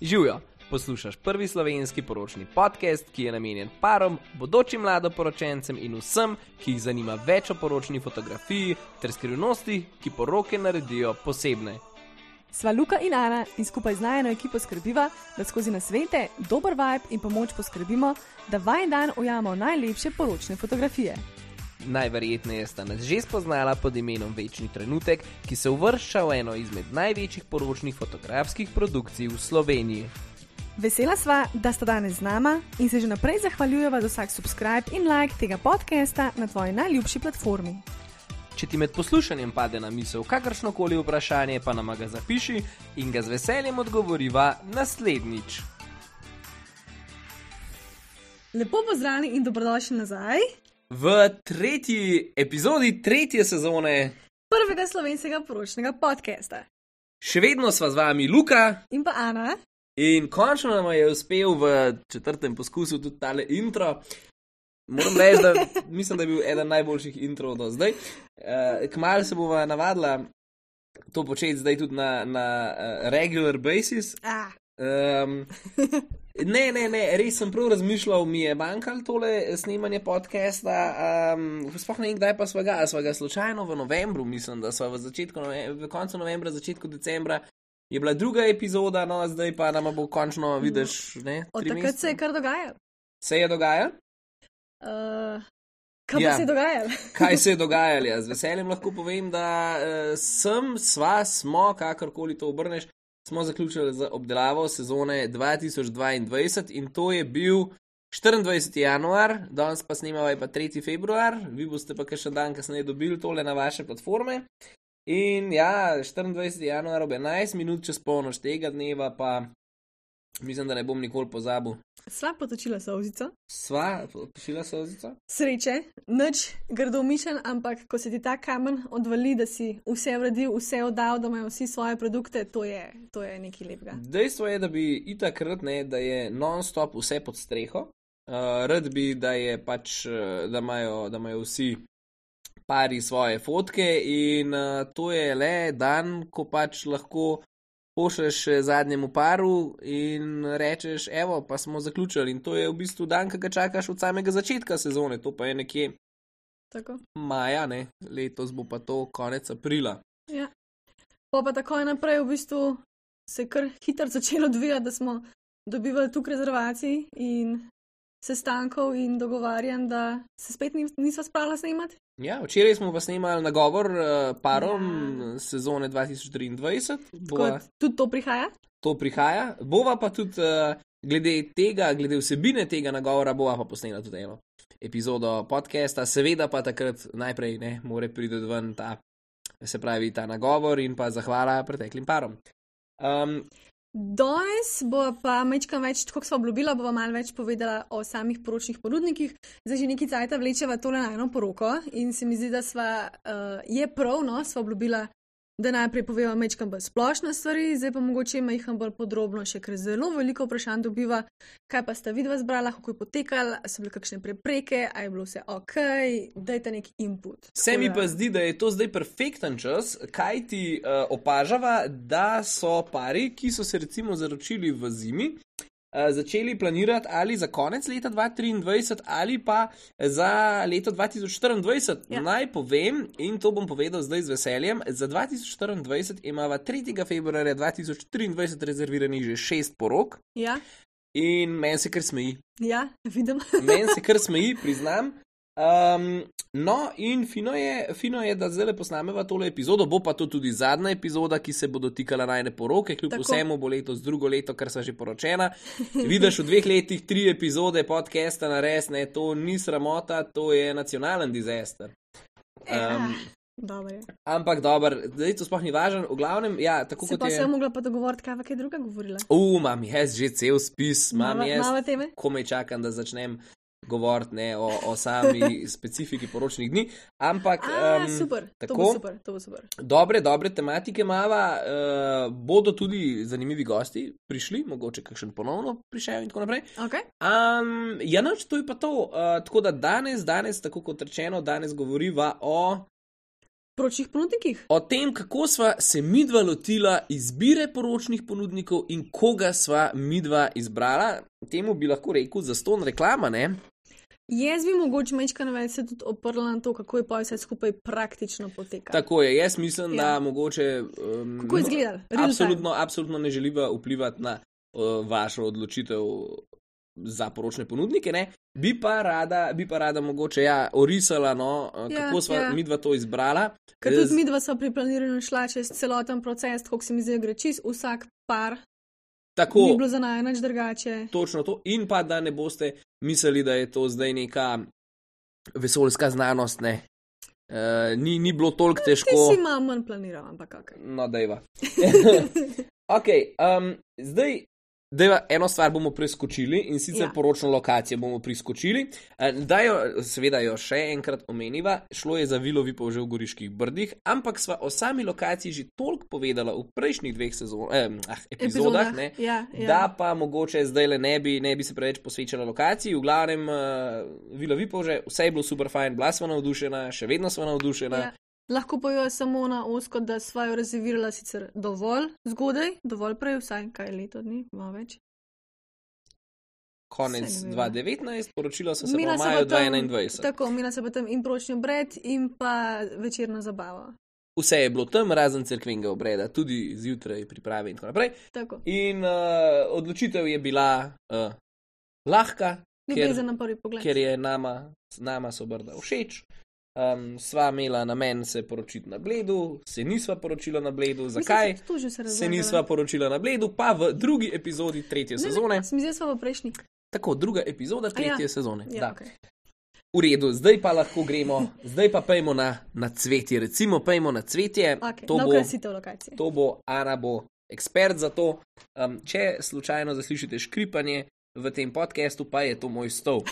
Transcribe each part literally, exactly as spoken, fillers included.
Živijo, poslušaš prvi slovenski poročni podcast, ki je namenjen parom, bodočim mladoporočencem in vsem, ki jih zanima več o poročni fotografiji ter skrivnosti, ki poroke naredijo posebne. Sva Luka in Ana in skupaj z najino ekipo skrbiva, da skozi nasvete, dober vibe in pomoč poskrbimo, da vajen dan ujamemo najlepše poročne fotografije. Najverjetneje sta nas že spoznala pod imenom Večni trenutek, ki se uvršča v eno izmed največjih poročnih fotografskih produkcij v Sloveniji. Vesela sva, da sta danes z nama in se že naprej zahvaljujeva za vsak subscribe in like tega podcasta na tvoji najljubši platformi. Če ti med poslušanjem pade na misel kakršnokoli vprašanje, pa nama ga zapiši in ga z veseljem odgovoriva naslednjič. Lepo pozdravljeni in dobrodošli nazaj v tretji epizodi tretje sezone prvega slovenskega poročnega podcasta. Še vedno sva z vami Luka in pa Ana. In končno nam je uspel v četrtem poskusu tudi tale intro. Moram reči, da mislim, da je bil eden najboljših introv do zdaj. Uh, Kmalu se bova navadila to početi zdaj tudi na, na uh, regular basis. Ah. Um, ne, ne, ne, res sem prav razmišljal, mi je manjkalo tole snemanje podcasta. Um, sploh ne vem, kdaj pa sva ga. Sva ga slučajno v novembru, mislim, da sva v, začetku, v koncu novembra, začetku decembra. Je bila druga epizoda, no zdaj pa nama bo končno, vidiš, ne? Od takrat se je kar dogajalo. Se je dogajalo? Uh, kaj ja. pa se je dogajalo? Kaj se je dogajalo? Ja. Z veseljem lahko povem, da uh, sem, sva, smo, kakorkoli to obrneš, smo zaključili z obdelavo sezone dva tisoč dvaindvajset in to je bil štiriindvajseti januar, danes pa snemava je pa tretji februar, vi boste pa še dan kasneje dobili tole na vaše platforme. In ja, štiriindvajseti januar ob enajst minut čez polnoč tega dneva pa mislim, da ne bom nikoli pozabil. Sva potočila solzico. Sva potočila solzico. Sreče, nič grdo mišljen, ampak ko se ti ta kamen odvali, da si vse vredil, vse oddal, da imajo vsi svoje produkte, to je, to je nekaj lepega. Dejstvo je, da bi itak rad, ne, da je non-stop vse pod streho. Uh, rad bi, da je pač, da imajo, da imajo vsi pari svoje fotke in uh, to je le dan, ko pač lahko pošleš zadnjemu paru in rečeš, evo, pa smo zaključili. In to je v bistvu dan, ki ga čakaš od samega začetka sezone. To pa je nekje tako maja, ne? Letos bo pa to konec aprila. Ja. Pa pa takoj naprej v bistvu se je kar hitro začelo odvijati, da smo dobivali tukaj rezervacij in sestankov in dogovarjanj, da se spet nisva spravila snemati. Ja, včeraj smo pa snemali nagovor uh, parom ja. sezone dva tisoč triindvajset. Bova, tudi to prihaja? To prihaja. Bova pa tudi uh, glede tega, glede vsebine tega nagovora, bova pa posnela tudi eno epizodo podcasta. Seveda pa takrat najprej ne more priti ven ta, se pravi, ta nagovor in pa zahvala preteklim parom. Um, Danes bo pa mečkam več, kako smo obljubila, bova malo več povedala o samih poročnih ponudnikih. Zdaj že nekaj cajta vlečeva tole na eno poroko in se mi zdi, da sva, uh, je prav, no, sva obljubila, da najprej poveva mečkam bolj splošne stvari, zdaj pa mogoče majham bolj podrobno še, ker zelo veliko vprašanj dobiva, kaj pa sta vidva zbrala, kako je potekala, so bile kakšne prepreke, a je bilo vse ok, dajte neki input. Se mi pa zdi, da je to zdaj perfekten čas, kaj ti uh, opažava, da so pari, ki so se recimo zaročili v zimi, uh, začeli planirati ali za konec leta dva tisoč triindvajset ali pa za leto dva tisoč štiriindvajset. Ja. Naj povem, in to bom povedal zdaj z veseljem, za dva tisoč štiriindvajset imava tretjega februarja dva tisoč triindvajset rezerviranih že šest porok. Ja. In meni se kar smeji. Ja, vidim. Meni se kar smeji, priznam. Um, no, in fino je, fino je, da zdaj posnameva tole epizodo, bo pa to tudi zadnja epizoda, ki se bo dotikala najne poroke, kljub Tako. vsemu bo letos drugo leto, ker sva že poročena. Vidiš, v dveh letih tri epizode podcasta nares, ne, to ni sramota, to je nacionalen disaster. Um, Dobar je. Ampak dober, zdaj to sploh ni važno, v glavnem, ja, tako se kot je... Se pa sem mogla pa dogovoriti, kaj pa kaj druga govorila. U, mam jaz že cel spis, mam Mava, jaz, komaj čakam, da začnem govoriti, ne, o, o sami specifiki poročnih dni, ampak... A, um, super, tako, to bo super, to bo super. Dobre, dobre tematike mava, uh, bodo tudi zanimivi gosti prišli, mogoče kakšen ponovno prišel in tako naprej. Okay. Um, ja, noč, to je pa to, uh, tako da danes, danes, tako kot rečeno, danes govoriva o... poročnih ponudnikih. O tem, kako sva se midva lotila izbire poročnih ponudnikov in koga sva midva izbrala, temu bi lahko rekel zastonj reklama, ne? Jaz bi mogoče majčkano več se tudi oprla na to, kako je pa vse skupaj praktično potekalo. Tako je, jaz mislim, Ja. da mogoče... Um, Kako je izgledalo? Real absolutno, absolutno ne želiva vplivati na uh, vašo odločitev za poročne ponudnike, ne? Bi pa rada, bi pa rada mogoče, ja, orisala, no, uh, Ja, kako sva ja. midva to izbrala. Ker Z- tudi midva sva pri planiranju šla čez celoten proces, kako se mi zdaj gre čist vsak par, Tako, ni bilo za naj nič drugače. točno to. In pa, da ne boste mislili, da je to zdaj neka vesoljska znanost, ne. Uh, ni, ni bilo toliko Ti težko. si malo manj planiral, ampak kakaj. No, dejva. ok, um, zdaj, dejva, eno stvar bomo preskočili in sicer Ja. ja. poročno lokacijo bomo priskočili. Uh, da jo, seveda jo še enkrat omeniva, šlo je za Vilo Vipavže v Goriških Brdih, ampak sva o sami lokaciji že toliko povedala v prejšnjih dveh sezon, eh, ah, epizodah, ne, Ja, ja. da pa mogoče zdaj le ne bi, ne bi se preveč posvečala lokaciji. V glavnem, uh, Vilo Vipavže, vse je bilo super fajn, bila sva navdušena, še vedno sva navdušena. Ja. Lahko pa jo samo na osko, da sva jo rezervirala sicer dovolj zgodaj, dovolj prej, vsaj kaj leto dni, malo več. Konec Saj ne vem. dva tisoč devetnajst, poročila so se Mina pa v se maju pa tam- dva tisoč enaindvajset. Tako, mina se pa tam in pročni obred in pa večerna zabava. Vse je bilo tam, razen cerkvenega obreda, tudi zjutraj priprave in tako naprej. Tako. In uh, odločitev je bila uh, lahka, ker, Ljubezen na prvi pogled. ker je nama, nama so Brda všeč. Um, sva imela namen se poročiti na Bledu, se nisva poročila na Bledu. Zakaj Mislim, tu že se se razlagala. nisva poročila na Bledu? Pa v drugi epizodi tretje Ne, ne, sezone. Se mi zdi, da sva v prejšnji. Tako, druga epizoda tretje ja. sezone. Ja, Da. okay. V redu, zdaj pa lahko gremo, zdaj pa pejmo na, na cvetje. Recimo, pejmo na cvetje. Okay. To Na bo, okrasitev lokacije. to bo, Ana bo ekspert za to. Um, če slučajno zaslišite škripanje v tem podkastu, pa je to moj stol.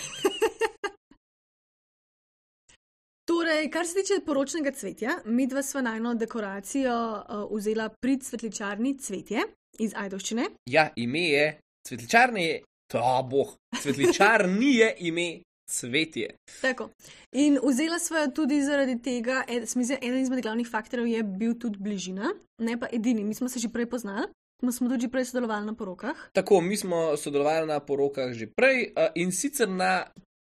Torej, kar se tiče poročnega cvetja, midva sva najno dekoracijo uh, vzela pri cvetličarni Cvetje iz Ajdovščine. Ja, ime je cvetličarne, je, to boh, cvetličarni je ime Cvetje. Tako. In vzela sva jo tudi zaradi tega, ed, se mi zdi, eden izmed glavnih faktorjev je bil tudi bližina, ne pa edini. Mi smo se že prej poznali, smo, smo tudi že prej sodelovali na porokah. Tako, mi smo sodelovali na porokah že prej uh, in sicer na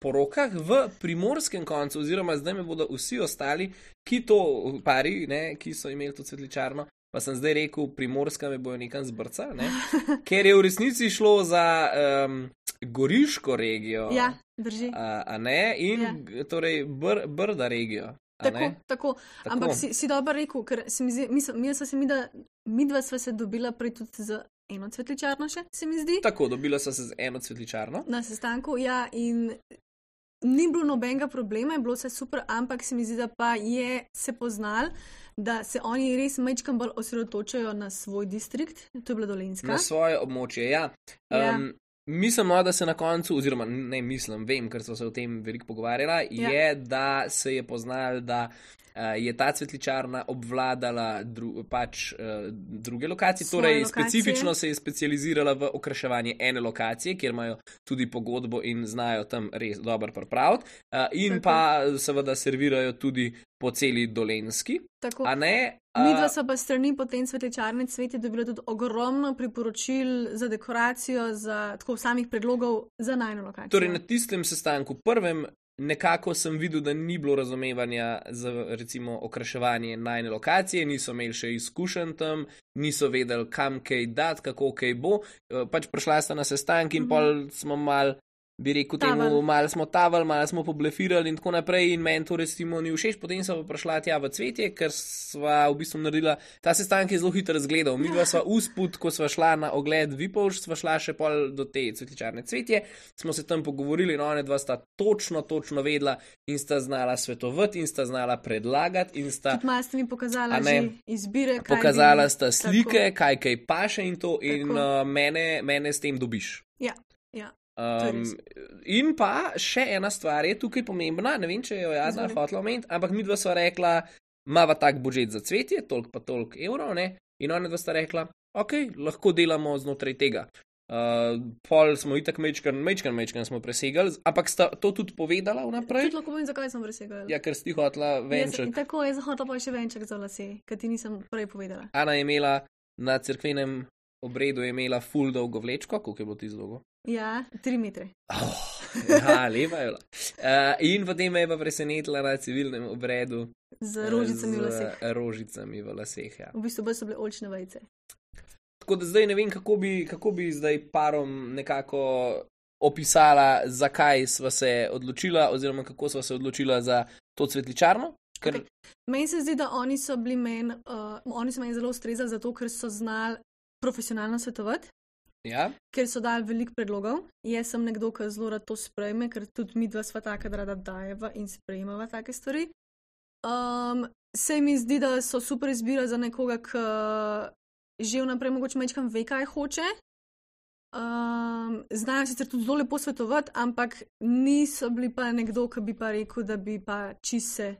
porokah v primorskem koncu, oziroma zdaj me bodo vsi ostali, ki to pari, ne, ki so imeli to cvetličarno, pa sem zdaj rekel, primorska me bojo nekam zbrca, ne, ker je v resnici šlo za um, Goriško regijo, Ja, drži. a, a ne, in Ja. ja. torej br, Brda regijo. a Tako, ne. tako. Tako. Ampak si, si dobro rekel, ker se mi zdi, mi, smo- mi, sva se mi, da, midva sva se dobila prej tudi z eno cvetličarno še, se mi zdi, Tako, dobila so se z eno cvetličarno. na sestanku. Ja, in ni bilo nobenega problema, je bilo vse super, ampak se mi zdi, da pa je se poznal, da se oni res mečkam bolj osredotočajo na svoj distrikt, to je bila Dolenjska. Na svoje območje, ja. Ja. Um, mislim, no, da se na koncu, oziroma ne mislim, vem, ker so se o tem veliko pogovarjala, Ja. je, da se je poznal, da uh, je ta cvetličarna obvladala dru, pač uh, druge lokacije, Svoje torej lokacije. specifično se je specializirala v okraševanje ene lokacije, kjer imajo tudi pogodbo in znajo tam res dobro pripraviti, uh, in Tako. pa seveda servirajo tudi po celi Dolenjski, Tako. a ne? Midva Uh, so pa strani potem cvetličarne Cvetje dobila tudi ogromno priporočil za dekoracijo, za tako samih predlogov za najno lokacijo. Torej, na tistem sestanku prvem nekako sem videl, da ni bilo razumevanja za recimo okraševanje najne lokacije, niso imeli še izkušenj tam, niso vedeli, kam kaj dati, kako kaj bo. Eh, Pač prišla sta na sestank in Mhm. pol smo mal, bi rekel Taval. temu, malo smo taval, malo smo poblefirali in tako naprej in meni to recimo ni všeč, potem sem pa prišla tja v Cvetje, ker sva v bistvu naredila, ta sestanek je zelo hitro razgledal, mi dva sva usput, ko sva šla na ogled Vipavž, sva šla še pol do te cvetličarne Cvetje, smo se tam pogovorili in one dva sta točno, točno vedla in sta znala svetovati in sta znala predlagati in sta Tudi malo ste mi pokazala A ne. že izbire, kaj pokazala bi- sta slike, kaj kaj paše in to in Tako. uh, mene, mene s tem dobiš. Ja, ja. To je Um, res. in pa še ena stvar je tukaj pomembna, ne vem, če jo je Adna Izvoli. hotela omeniti, ampak mi dva sva rekla, mava tak budžet za Cvetje, toliko pa toliko evrov, ne, in ona dva sta rekla, ok, lahko delamo znotraj tega. Uh, pol smo itak mečkan, mečkan, mečkan smo presegali, ampak sta to tudi povedala vnaprej? Tudi lahko povem, zakaj sem presegala. Ja, ker si hotela venček. Tako je, zahotela pa še venček za lase, ker ti nisem prej povedala. Ana je imela na cerkvenem obredu je imela ful dolgo vlečko, koliko je bilo ti dolgo? Ja, tri metre. Oh, ja, lepa je bila. Uh, in potem me je pa presenetila na civilnem obredu. Z rožicami v laseh. Z rožicami v laseh, ja. V bistvu so bile oljčne vejice. Tako da zdaj ne vem, kako bi, kako bi zdaj parom nekako opisala, zakaj sva se odločila, oziroma kako sva se odločila za to cvetličarno. Ker... Okay. Meni se zdi, da oni so bili meni, uh, oni so meni zelo ustrezali zato, ker so znali profesionalno svetovati. Ja. Ker so dali veliko predlogov. Jaz sem nekdo, ki zelo rad to sprejme, ker tudi mi dva sva taka, da rada dajeva in sprejmeva take stvari. Um, se mi zdi, da so super izbira za nekoga, ki že vnaprej mogoče mečkam ve, kaj hoče. Um, znajo sicer tudi zelo lepo svetovati, ampak niso bili pa nekdo, ki bi pa rekel, da bi pa čise.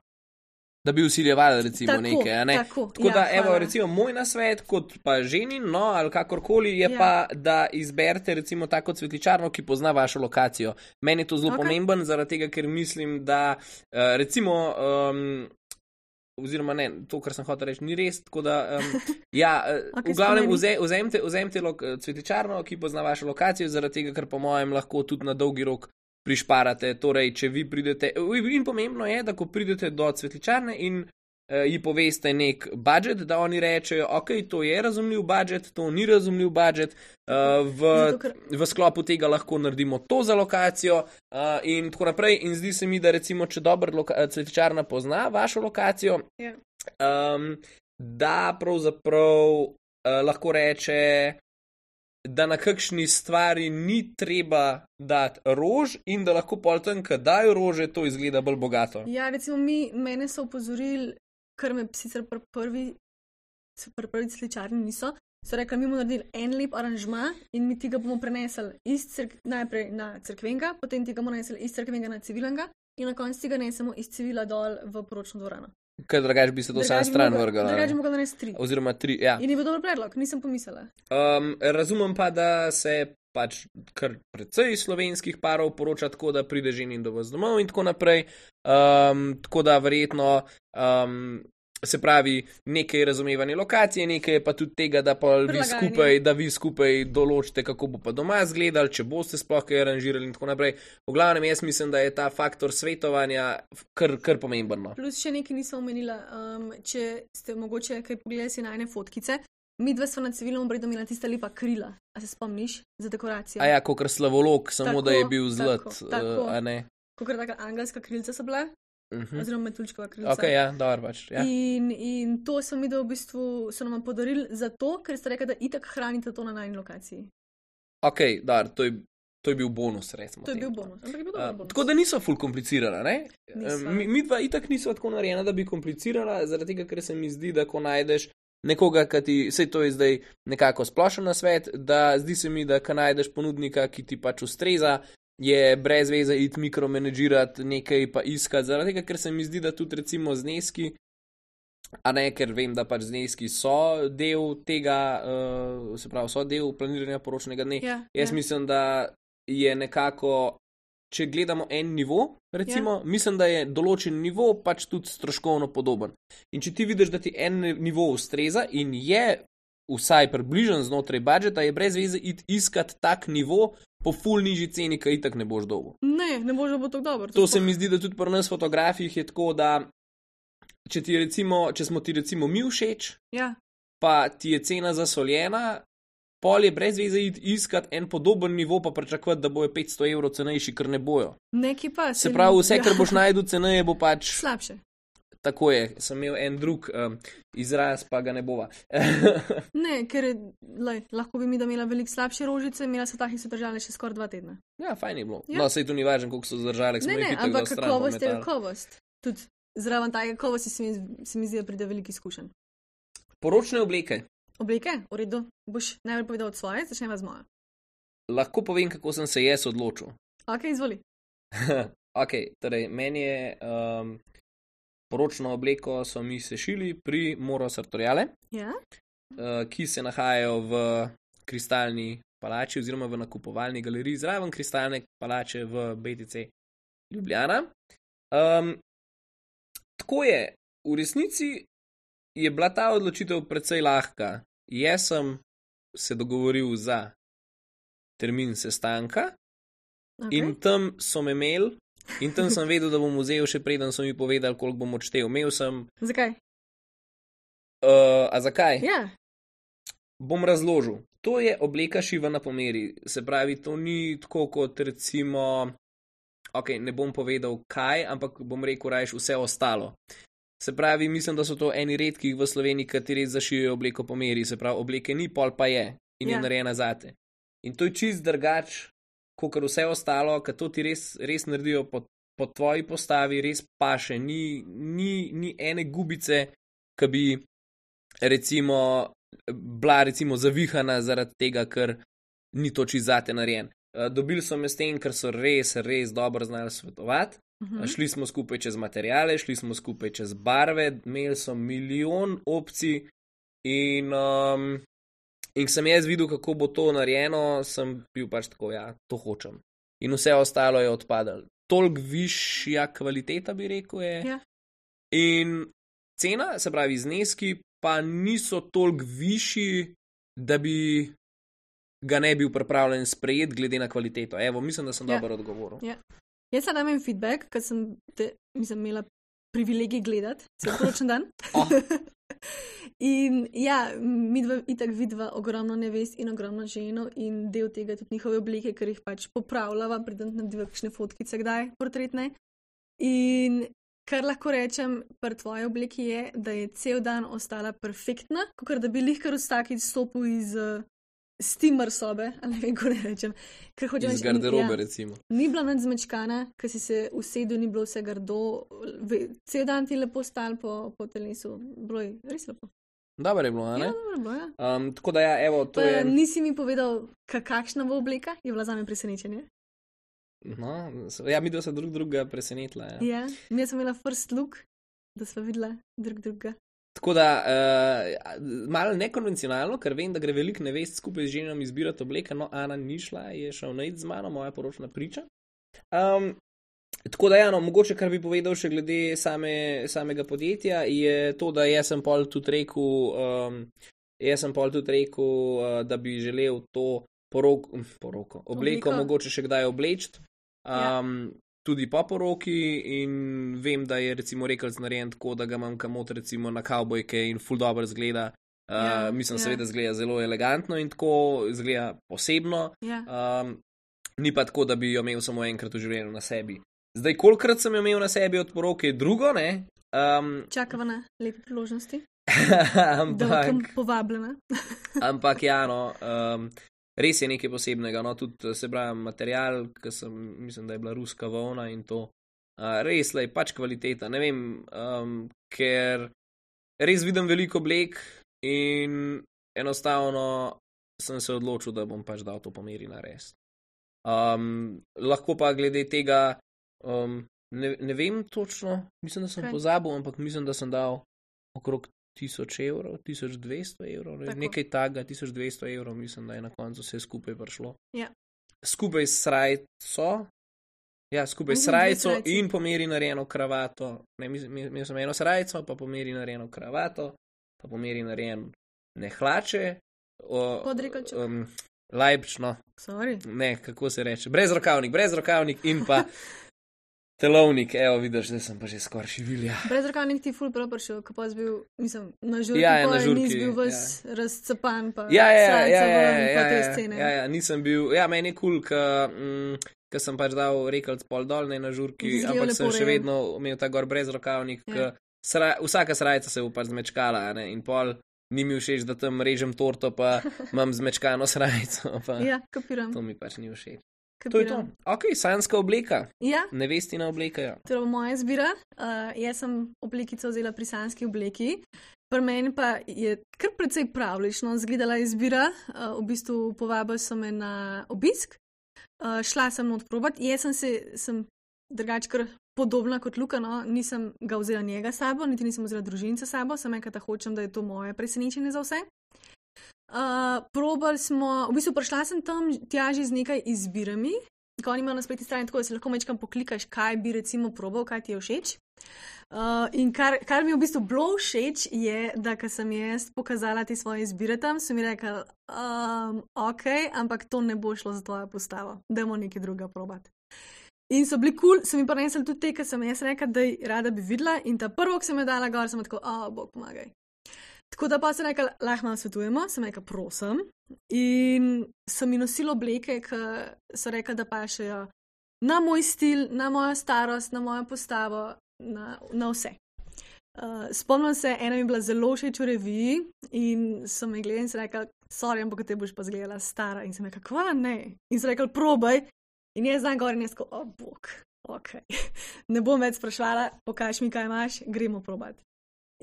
Da bi usiljevali recimo tako, nekaj, ne? Tako, tako ja, da, evo, hvala. recimo, moj nasvet, kot pa ženin, no, ali kakorkoli, je ja. pa, da izberete recimo tako cvetličarno, ki pozna vašo lokacijo. Meni je to zelo okay. pomemben, zaradi tega, ker mislim, da uh, recimo, um, oziroma ne, to, kar sem hotel reči, ni res, tako da, um, ja, okay, v glavnem, vze, vzemte, vzemte lo, cvetličarno, ki pozna vašo lokacijo, zaradi tega, ker po mojem lahko tudi na dolgi rok prišparate, torej, če vi pridete, in pomembno je, da ko pridete do cvetličarne in uh, ji poveste nek budžet, da oni rečejo, ok, to je razumljiv budžet, to ni razumljiv budžet, uh, v, v sklopu tega lahko naredimo to za lokacijo uh, in tako naprej. In zdi se mi, da recimo, če dobro cvetličarna pozna vašo lokacijo, yeah. um, da pravzaprav uh, lahko reče, da na kakšni stvari ni treba dati rož in da lahko pol tam, kad dajo rože, to izgleda bolj bogato. Ja, recimo mi, mene so upozorili, kar me sicer pri prvi, pri prvi cvetličarni niso, so rekli, mi bomo naredili en lep aranžma in mi tega bomo prenesli iz crk, najprej na cerkvenga, potem tega bomo prenesli iz cerkvenga na civilnega in na koncu tega nesemo iz civila dol v poročno dvorano. Ker drugač bi se to sam stran vrgala. Drugač bi mogla narediti tri. Oziroma tri, ja. In je bil dober predlog, nisem pomislila. Um, razumem pa, da se pač kar precej slovenskih parov poroča tako, da pride ženin do vas domov in tako naprej. Um, tako da verjetno um, se pravi nekaj razumevanje lokacije, nekaj pa tudi tega, da pa vi skupaj, da vi skupaj določite, kako bo pa doma izgledal, če boste sploh kaj aranžirali in tako naprej. V glavnem, jaz mislim, da je ta faktor svetovanja kar, kar pomemben. Plus še nekaj nisem omenila, um, če ste mogoče kaj pogledali si najne fotkice, mi dva smo na civilnem obredu imela tista lepa krila, a se spomniš, za dekoracijo. A ja, kakor slavolog, samo tako, da je bil zlat, tako, tako. Uh, a ne? Kakor taka angelska krilca so bila. Uh-huh. Oziroma metuljčkova krilca. Ok, ja, dobro pač. Ja. In, in to so mi da v bistvu so nam podarili zato, ker ste rekli, da itak hranite to na najni lokaciji. Ok, dobro, to je, to je bil bonus, recimo. To je bil bonus, ampak je bil dober bonus. Uh, tako da niso ful komplicirana, ne? Nisva. Mi, mi dva itak niso tako narejena, da bi komplicirala, zaradi tega, ker se mi zdi, da ko najdeš nekoga, ki ti, sej to je zdaj nekako splošen nasvet, da zdi se mi, da ko najdeš ponudnika, ki ti pač ustreza, je brez veze iti mikromenedžirati nekaj pa iskati, zaradi tega, ker se mi zdi, da tudi recimo zneski, a ne, ker vem, da pač zneski so del tega, uh, se pravi, so del planiranja poročnega dne. Ja, Jaz ja. mislim, da je nekako, če gledamo en nivo, recimo, ja. mislim, da je določen nivo pač tudi stroškovno podoben. In če ti vidiš, da ti en nivo ustreza in je vsaj približen znotraj budžeta, je brez veze iti iskat tak nivo po ful nižji ceni, ki itak ne boš dolgo. Ne, ne boš bo tako dobro. To, to se mi zdi, da tudi pri nas fotografijih je tako, da če, ti recimo, če smo ti recimo mi všeč, ja. pa ti je cena zasoljena, pol je brez veze iti iskat en podoben nivo, pa pričakovati, da bojo petsto evrov cenejši, ker ne bojo. Neki pa se pravi, vse, ja. kar boš najdel ceneje, bo pač slabše. Tako je, sem imel en drug um, izraz, pa ga ne bova. Ne, ker lej, lahko bi mi da imela veliko slabše rožice, imela so takih, so držale še skoraj dva tedna. Ja, fajn je bilo. Ja. No, sej to ni važno, koliko so zdržali. Ne, ne, ampak kakovost je kakovost. Tudi zraven take kakovosti se mi, se mi zdi, da pride veliko izkušenj. Poročne obleke. Obleke? V redu. Boš najbolj povedal od svoje, začneva z mojo. Lahko povem, kako sem se jaz odločil. Ok, izvoli. Ok, torej, meni je... Um, Poročno obleko so mi sešili pri Moro Sartoriale, ja? uh, ki se nahajajo v kristalni palači oziroma v nakupovalni galeriji zraven Kristalne palače v B T C Ljubljana. Um, tako je, v resnici je bila ta odločitev precej lahka. Jaz sem se dogovoril za termin sestanka okay. in tam so me imeli in tam sem vedel, da bom vzel še preden so mi povedali, koliko bom odštel. Imel sem... Zakaj? Uh, a zakaj? Ja. Bom razložil. To je obleka šivana po meri. Se pravi, to ni tako kot recimo... Ok, ne bom povedal kaj, ampak bom rekel rajš vse ostalo. Se pravi, mislim, da so to eni redkih v Sloveniji, kateri zašijajo obleko po meri. Se pravi, obleke ni, pol pa je in ja. je narejena zate. In to je čist drugač, kot vse ostalo, ker to ti res, res naredijo po, po tvoji postavi, res paše. Ni, ni, ni ene gubice, ki bi recimo bila recimo zavihana zaradi tega, ker ni to čist zate narejen. Dobili so me s tem, ker so res, res dobro znali svetovati. Uh-huh. Šli smo skupaj čez materijale, šli smo skupaj čez barve, imeli so milijon opcij in, um, in sem jaz videl, kako bo to narejeno, sem bil pač tako, ja, to hočem. In vse ostalo je odpadalo. Toliko višja kvaliteta, bi rekel, je. Ja. In cena, se pravi zneski, pa niso toliko višji, da bi ga ne bil pripravljen sprejeti glede na kvaliteto. Evo, mislim, da sem ja. dobro odgovoril. Ja. Jaz sem dam en feedback, ker sem, te, mislim, imela privilegij gledati cel poročen dan. Oh. In ja, mi dva itak vidva ogromno nevest in ogromno ženo in del tega tudi njihove oblike, ker jih pač popravljava, predem narediva kakšne fotkice kdaj, portretne. In kar lahko rečem pri tvoji obliki je, da je cel dan ostala perfektna, kakor da bi lihkar vsakič stopil iz uh, steamer sobe, ali ne vem, ko ne rečem. Iz reči, garderobe, ja, recimo. Ni bila nič zmečkana, ker si se usedel, ni bilo vse grdo, cel dan ti lepo stal po, po telesu. Bilo je res lepo. Dobro je bilo, ne? Ja, dobro je bilo, ja. Um, tako da ja, evo, to pa, je... Nisi mi povedal, kakšna bo obleka, je bila zame presenečenje. No, ja, mi dva se drug druga presenetila, ja. Ja, mi sem imela first look, da sva videla drug druga. Tako da, uh, malo nekonvencionalno, ker vem, da gre veliko nevest skupaj z ženom izbirati obleke, no, Ana ni šla, je šel najti z mano, moja poročna priča. Um, tako da, ja, no, mogoče, kar bi povedal še glede same, samega podjetja, je to, da jaz sem pol tudi rekel, um, jaz sem pol tudi rekel, uh, da bi želel to poroko, poroko obleko Obliko. mogoče še kdaj oblečiti. Um, ja. Tudi po poroki in vem, da je recimo rekelc narejen tako, da ga imam kamot recimo na kavbojke in ful dobro zgleda. Uh, ja, mislim, ja. seveda zgleda zelo elegantno in tako zgleda posebno. Ja. Um, ni pa tako, da bi jo imel samo enkrat v življenju na sebi. Zdaj, kolikrat sem jo imel na sebi od poroke, je drugo, ne? Um, Čakava na lepe priložnosti. ampak, da bom povabljena. ampak ja, no... Um, Res je nekaj posebnega, no, tudi se pravi material, ki sem, mislim, da je bila ruska volna in to, uh, res je pač kvaliteta, ne vem, um, ker res vidim veliko oblek in enostavno sem se odločil, da bom pač dal to po meri narediti. Um, lahko pa glede tega, um, ne, ne vem točno, mislim, da sem okay. pozabil, ampak mislim, da sem dal okrog tisoč evrov, tisoč dvesto evrov, ne, nekaj taga, tisoč dvesto evrov, mislim, da je na koncu vse skupaj prišlo. Ja. Skupaj s srajco, ja, skupaj s srajco in po meri narejeno kravato, ne, imel sem eno srajco, pa po meri narejeno kravato, pa po meri narejeno ne hlače, podrekalček, um, lajbčno, sorry, ne, kako se reče, brezrokavnik, brezrokavnik in pa telovnik, evo, vidiš, da sem pa že skoraj šivilja. Brezrokavnik ti ful prav prišel, ko pa si bil, mislim, na žurki, ja, ja, pa na žurki, nisi bil ves ja. razcapan, pa ja, ja, srajca ja, ja, ven, ja, pa te ja, scene. Ja, ja, nisem bil, ja, meni je kul, cool, ker sem pač dal rekelc pol dol, ne na žurki, ampak sem še vedno imel ta gor brezrokavnik, ja. sra, vsaka srajca se bo pač zmečkala, ne, in pol ni mi všeč, da tam režem torto, pa imam zmečkano srajco, pa ja, kapiram. To mi pač ni všeč. Kapiram. To je to. Ok, sanjska obleka. Ja. Nevestina obleka, ja. To je moja izbira. Uh, jaz sem oblekico vzela pri sanjski obleki. Pri meni pa je kar precej pravlično izgledala izbira. Uh, v bistvu povabili so me na obisk. Uh, šla sem not probat. Jaz sem se, sem drugač kar podobna kot Luka, no. Nisem ga vzela njega sabo, niti nisem vzela družince sabo. Sem enkrat hočem, da je to moje presenečenje za vse. Uh, probali smo, v bistvu prišla sem tam tja že z nekaj izbirami, ko oni imajo na spletni strani, tako da si lahko mečkam poklikaš, kaj bi recimo probal, kaj ti je všeč. Uh, in kar, kar mi je v bistvu bilo všeč, je, da ko sem jaz pokazala te svoje izbire tam, so mi rekli, um, ok, ampak to ne bo šlo za tvojo postavo, dajmo nekaj drugega probati. In so bili kul, cool, so mi pa nesli tudi te, ki sem jaz rekla, da rada bi videla in ta prvo, ki sem jo dala gor, sem tako, o, oh, bog pomagaj. Tako da pa sem rekla, lahko malo svetujemo, sem rekla, prosim. In sem mi nosila obleke, ki so rekla, da pašejo na moj stil, na mojo starost, na mojo postavo, na, na vse. Uh, spomnim se, ena mi je bila zelo všeč v reviji in sem me gledala in sem rekla, sorry, ampak te boš pa zgledala stara. In sem rekla, kva ne? In sem rekla, probaj. In jaz znam gor in jaz tako, o oh, bog, ok. Ne bom več sprašvala, pokaž mi, kaj imaš, gremo probati.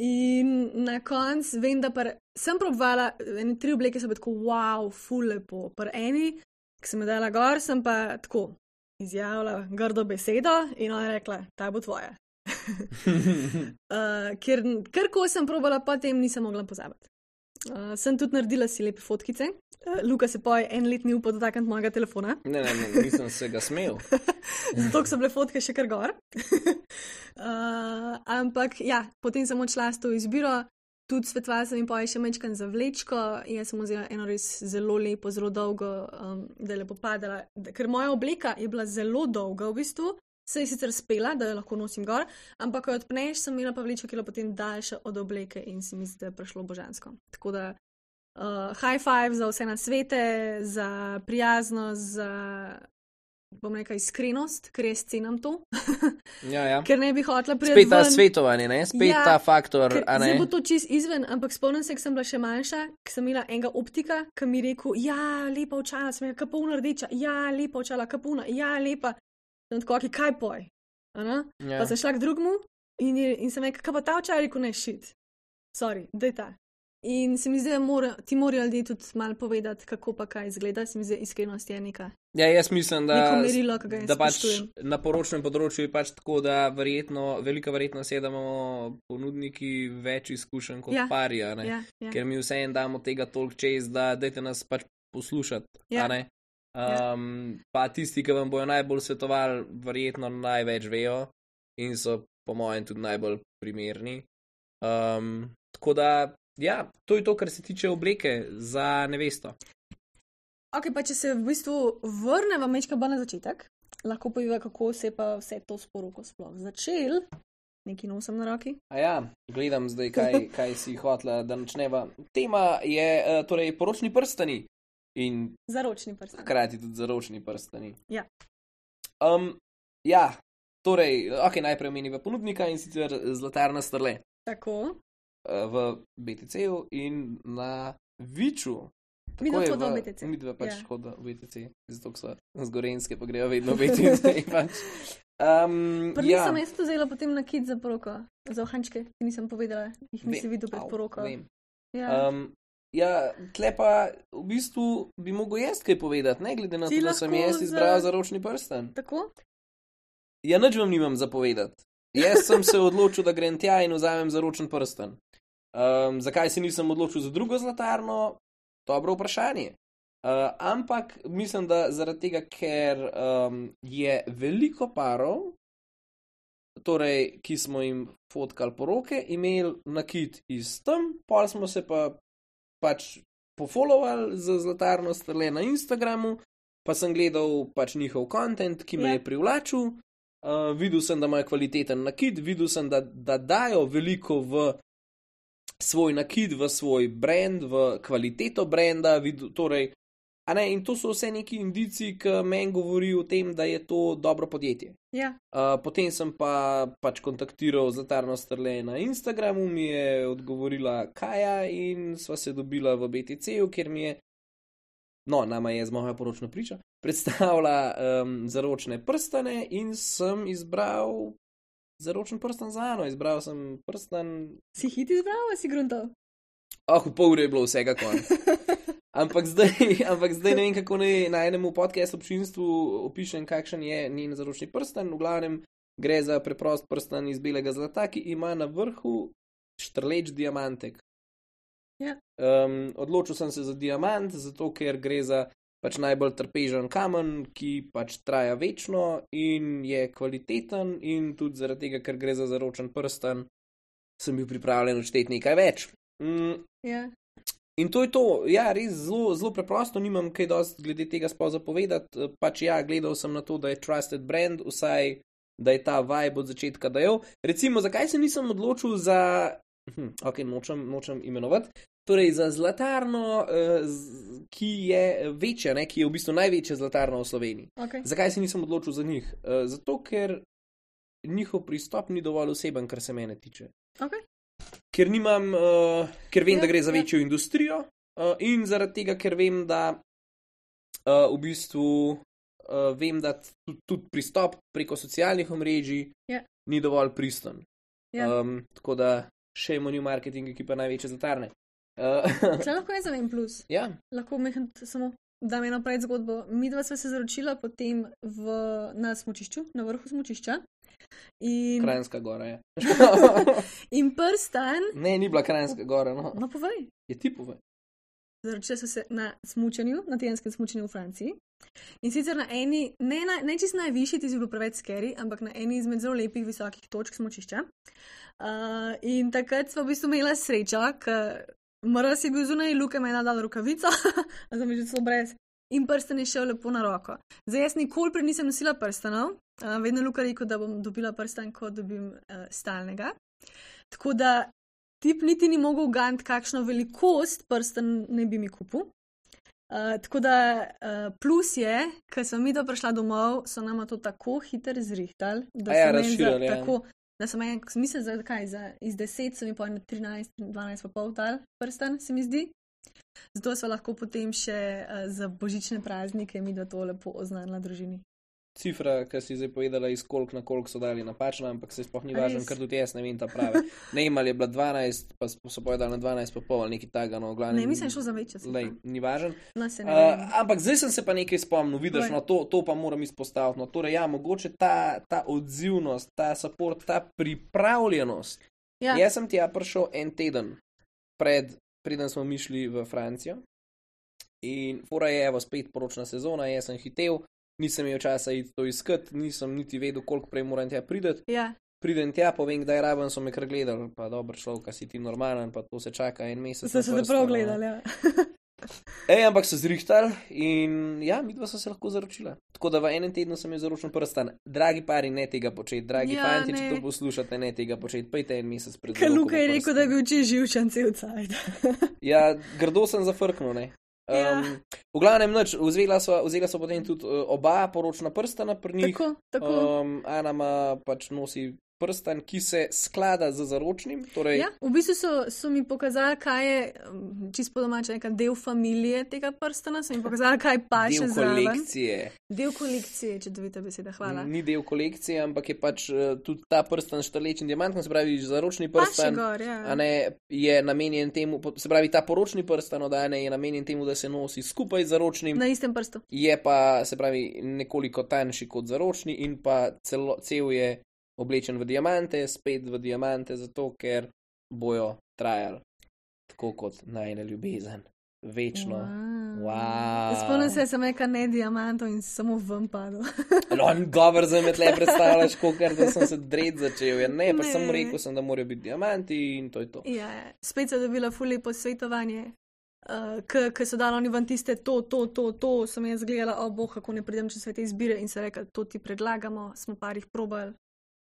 In na koncu vem, da par, sem probvala, ene tri obleke so bile tako, wow, ful lepo. Par eni, ki sem jo dala gor, sem pa tako izjavila grdo besedo in ona je rekla, ta bo tvoja. uh, ker kar ko sem probala, potem nisem mogla pozabiti. Uh, sem tudi naredila si lepe fotkice. Uh, Luka se poj en let ni upal dotakniti mojega telefona. Ne, ne, ne, nisem se ga smel. Zato so bile fotke še kar gor. uh, ampak ja, potem sem odšla s to izbiro. Tudi svetovala sem jim poj še mečkan za vlečko. Jaz sem vzela eno res zelo lepo, zelo dolgo, um, da je lepo padala. Da, ker moja obleka je bila zelo dolga v bistvu. Se je sicer spela, da jo lahko nosim gor, ampak ko jo odpneš, sem imela pa vlečko, ki je bila potem daljša od obleke in si mi zdi, da je prišlo božansko. Tako da uh, high five za vse na svete, za prijaznost, za, bom rekla, iskrenost, ker jaz cenam to. ja, ja. Ker ne bi hotela prijeti spet ta ven. svetovanje, ne? Spet ja, ta faktor, a ne? Zdaj bo to čist izven, ampak spomnim se, ko sem bila še manjša, ko sem imela enega optika, ki mi je rekel, ja, lepa očala, sem rekla, kapuna rdeča, ja, lepa očala, kapuna, ja, lepa. Sem tako, okay, kaj poj? Ja. Pa sem šla k drugmu in, in sem rekla, kaj pa ta očala, rekel, ne, shit. Sorry, daj ta. In se mi zdi, da mora, ti morajo ljudje tudi malo povedati, kako pa kaj izgleda. Se mi zdi, iskrenost je neka. Ja, jaz mislim, da, merilo, da pač na poročnem področju je pač tako, da verjetno, velika verjetnost je, da imamo ponudniki več izkušenj kot ja. pari, a ne? Ja, ja. Ker mi vseeno damo tega toliko čez, da dajte nas pač poslušati, ja. a ne? Um, pa tisti, ki vam bojo najbolj svetovali, verjetno največ vejo in so po mojem tudi najbolj primerni. Um, tako da, ja, to je to, kar se tiče obleke za nevesto. Ok, pa če se v bistvu vrneva mečka bolj na začetek, lahko poviva, kako se pa vse to sporoko sploh začel. Nekaj nosim na roki. A ja, gledam zdaj, kaj, kaj si hotela, da načneva. Tema je uh, torej poročni prstani. In zaročni prstani. Hkrati tudi zaročni prstani. Ja. Um, ja, torej, ok, najprej omeniva ponudnika in sicer Zlatarna Strle. Tako. V B T C-ju in na Viču. Mi dva hoda v B T C. Mi dva pač ja. hoda v B T C, zato so z Gorenjske, pa grejo vedno v B T C. pač. Um, Prvi ja. sem jaz to vzela potem na kit za poroko, za ohančke, ki nisem povedala, jih nisi videl pred poroko. Vem. Ja. Um, Ja, tle pa v bistvu bi mogel jaz kaj povedati, ne glede na to, da sem jaz izbral za... zaročni prsten. Tako? Ja, nič vam nimam za povedati. Jaz sem se odločil, da grem tja in vzamem zaročen prsten. Um, zakaj se nisem odločil za drugo zlatarno? Dobro vprašanje. Uh, ampak mislim, da zaradi tega, ker um, je veliko parov, torej, ki smo jim fotkali poroke, imeli nakit iz tam, pol smo se pa pač pofollowali za Zlatarno Strle na Instagramu, pa sem gledal pač njihov content, ki me yeah. je privlačil, uh, videl sem, da imajo kvaliteten nakit, videl sem, da, da dajo veliko v svoj nakit, v svoj brand, v kvaliteto branda, videl, torej, a ne, in to so vse neki indici, ki meni govori o tem, da je to dobro podjetje. Yeah. Uh, potem sem pa pač kontaktiral Zlatarno Strle na Instagramu, mi je odgovorila Kaja in sva se dobila v B T C-ju, kjer mi je, no, nama je z moja poročna priča, predstavila um, zaročne prstane in sem izbral zaročen prsten za Ano, izbral sem prsten... Si hit izbral, ali si gruntal? Oh, v pol ure je bilo vsega konc. Ampak zdaj, ampak zdaj ne vem, kako naj na enem podcastu občinstvu opišem, kakšen je njen zaročni prsten. V glavnem gre za preprost prsten iz belega zlata, ki ima na vrhu štrleč diamantek. Ja. Um, odločil sem se za diamant, zato ker gre za pač najbolj trpežen kamen, ki pač traja večno in je kvaliteten, in tudi zaradi tega, ker gre za zaročen prsten, sem bil pripravljen odšteti nekaj več. Mm, Ja. In to je to, ja, res zelo, zelo preprosto, nimam kaj dosti glede tega sploh zapovedati. Pač ja, gledal sem na to, da je trusted brand, vsaj da je ta vibe od začetka dajal. Recimo, zakaj se nisem odločil za, hm, ok, nočem, nočem imenovati, torej za zlatarno, uh, z, ki je večja, ne, ki je v bistvu največja zlatarna v Sloveniji. Okay. Zakaj se nisem odločil za njih? Uh, zato, ker njihov pristop ni dovolj oseben, kar se mene tiče. Okay. Ker nimam, uh, ker vem, Ja, da gre za ja. večjo industrijo, uh, in zaradi tega, ker vem, da uh, v bistvu uh, vem, da tudi, tudi pristop preko socialnih omrežij Ja. ni dovolj pristen. Ja. Um, tako da še imamo new marketing ekipa največje zlatarne. Uh, Če lahko jaz zavem plus, ja, lahko mehen samo dam eno pred zgodbo. Mi dva sva se zaročila potem v, na smučišču, na vrhu smučišča. In, Kranjska gora je. in prstan, Ne, ni bila Kranjska gora, no. no povej, Je tipove. zaročila sva se na smučanju, na tedenskem smučanju v Franciji. In sicer na eni, ne, na, ne čist najvišji, ti si bil preveč scary, ampak na eni izmed zelo lepih visokih točk smučišča. Uh, in takrat sva v bistvu imela srečo, ker Mraz je bil zunaj, Luka me je nadal rokavico, a sem že celo brez. In prsten je šel lepo na roko. Zdaj jaz nikoli prej nisem nosila prstanov, uh, vedno Luka rekel, da bom dobila prsten, ko dobim uh, stalnega. Tako da tip niti ni mogel gant, kakšno velikost prsten ne bi mi kupil. Uh, tako da uh, plus je, ker sem mi to prišla domov, so nama to tako hitro zrihtali, da A ja, so meni za- razširili, ja. tako, da sem en, mislim, za kaj, za iz deset so mi pa na trinajst, dvanajst pa pol dal prsten, se mi zdi. Zato sva lahko potem še uh, za božične praznike mi da to lepo oznanila družini. Cifra, ki si zdaj povedala, iz koliko na koliko so dali napačna, ampak se sploh ni A važno, res? ker tudi jaz ne vem ta prave. Ne vem, ali je bila dvanajst, pa so povedali na dvanajst pa pol, ali nekaj taga, no, glavno. Ne, mislim, šlo za večjo cifro. Lej, ni važen. No, se ne Uh, vem. ampak zdaj sem se pa nekaj spomnil, vidiš, Povej. no, to, to pa moram izpostaviti. No, torej, ja, mogoče ta, ta odzivnost, ta support, ta pripravljenost. Ja, Jaz sem tja prišel en teden pred, preden smo mi šli v Francijo. In fora je, evo, spet poročna sezona, jaz sem hitel, nisem imel časa iti to iskati, nisem niti vedel, koliko prej moram tja prideti. ja, Pridem tja, povem, kdaj raben, so me kar gledali, pa dobro človek, si ti normalen, pa to se čaka en mesec. so na se te vrsto, prav no. gledali. Ja. Ej, ampak so zrihtali in ja, midva so se lahko zaročila. Tako da v enem tednu sem je zaročil prstan. Dragi pari, ne tega početi, dragi Ja, fanti, če ne. to poslušate, ne tega početi, pejte en mesec pred Ker zaroko Luka v je rekel, prstan. da je bil čisto živčen cel cajt. Ja, grdo sem zafrknil, ne. Um, Ja. V glavnem, nič, vzela so, vzela so potem tudi uh, oba poročna prstana pri njih. Tako, tako. Um, Ana ima pač nosi prstan, ki se sklada z zaročnim. Torej, Ja, v bistvu so, so mi pokazali, kaj je, um, čisto po domače, neka del familije tega prstana, so mi pokazali, kaj paše del zraven. kolekcije. Del kolekcije, čudovita beseda, hvala. Ni del kolekcije, ampak je pač uh, tudi ta prstan štrlečen diamantno, se pravi zaročni Paše prstan. gor, ja. A ne, je namenjen temu, se pravi, ta poročni prstan od Ane je namenjen temu, da se nosi skupaj z zaročnim, Na istem prstu. je pa, se pravi, nekoliko tanjši kot zaročni in pa celo, cel je oblečen v diamante, spet v diamante, zato ker bojo trajali tako kot najna ljubezen. Večno. Wow. Spomnim se, sem rekel ne diamantov in samo ven padel. No, govor za me tle predstavljaš, kot da sem se dred začel. Ja, ne, pa Ne. sem rekel, sem, da morajo biti diamanti in to je to. Ja, spet sem dobila fully posvetovanje, uh, ki so dali oni ven tiste to, to, to, to, sem jaz gledala, o boh, kako ne pridem čez vse te izbire in se rekla, to ti predlagamo, smo parih probali.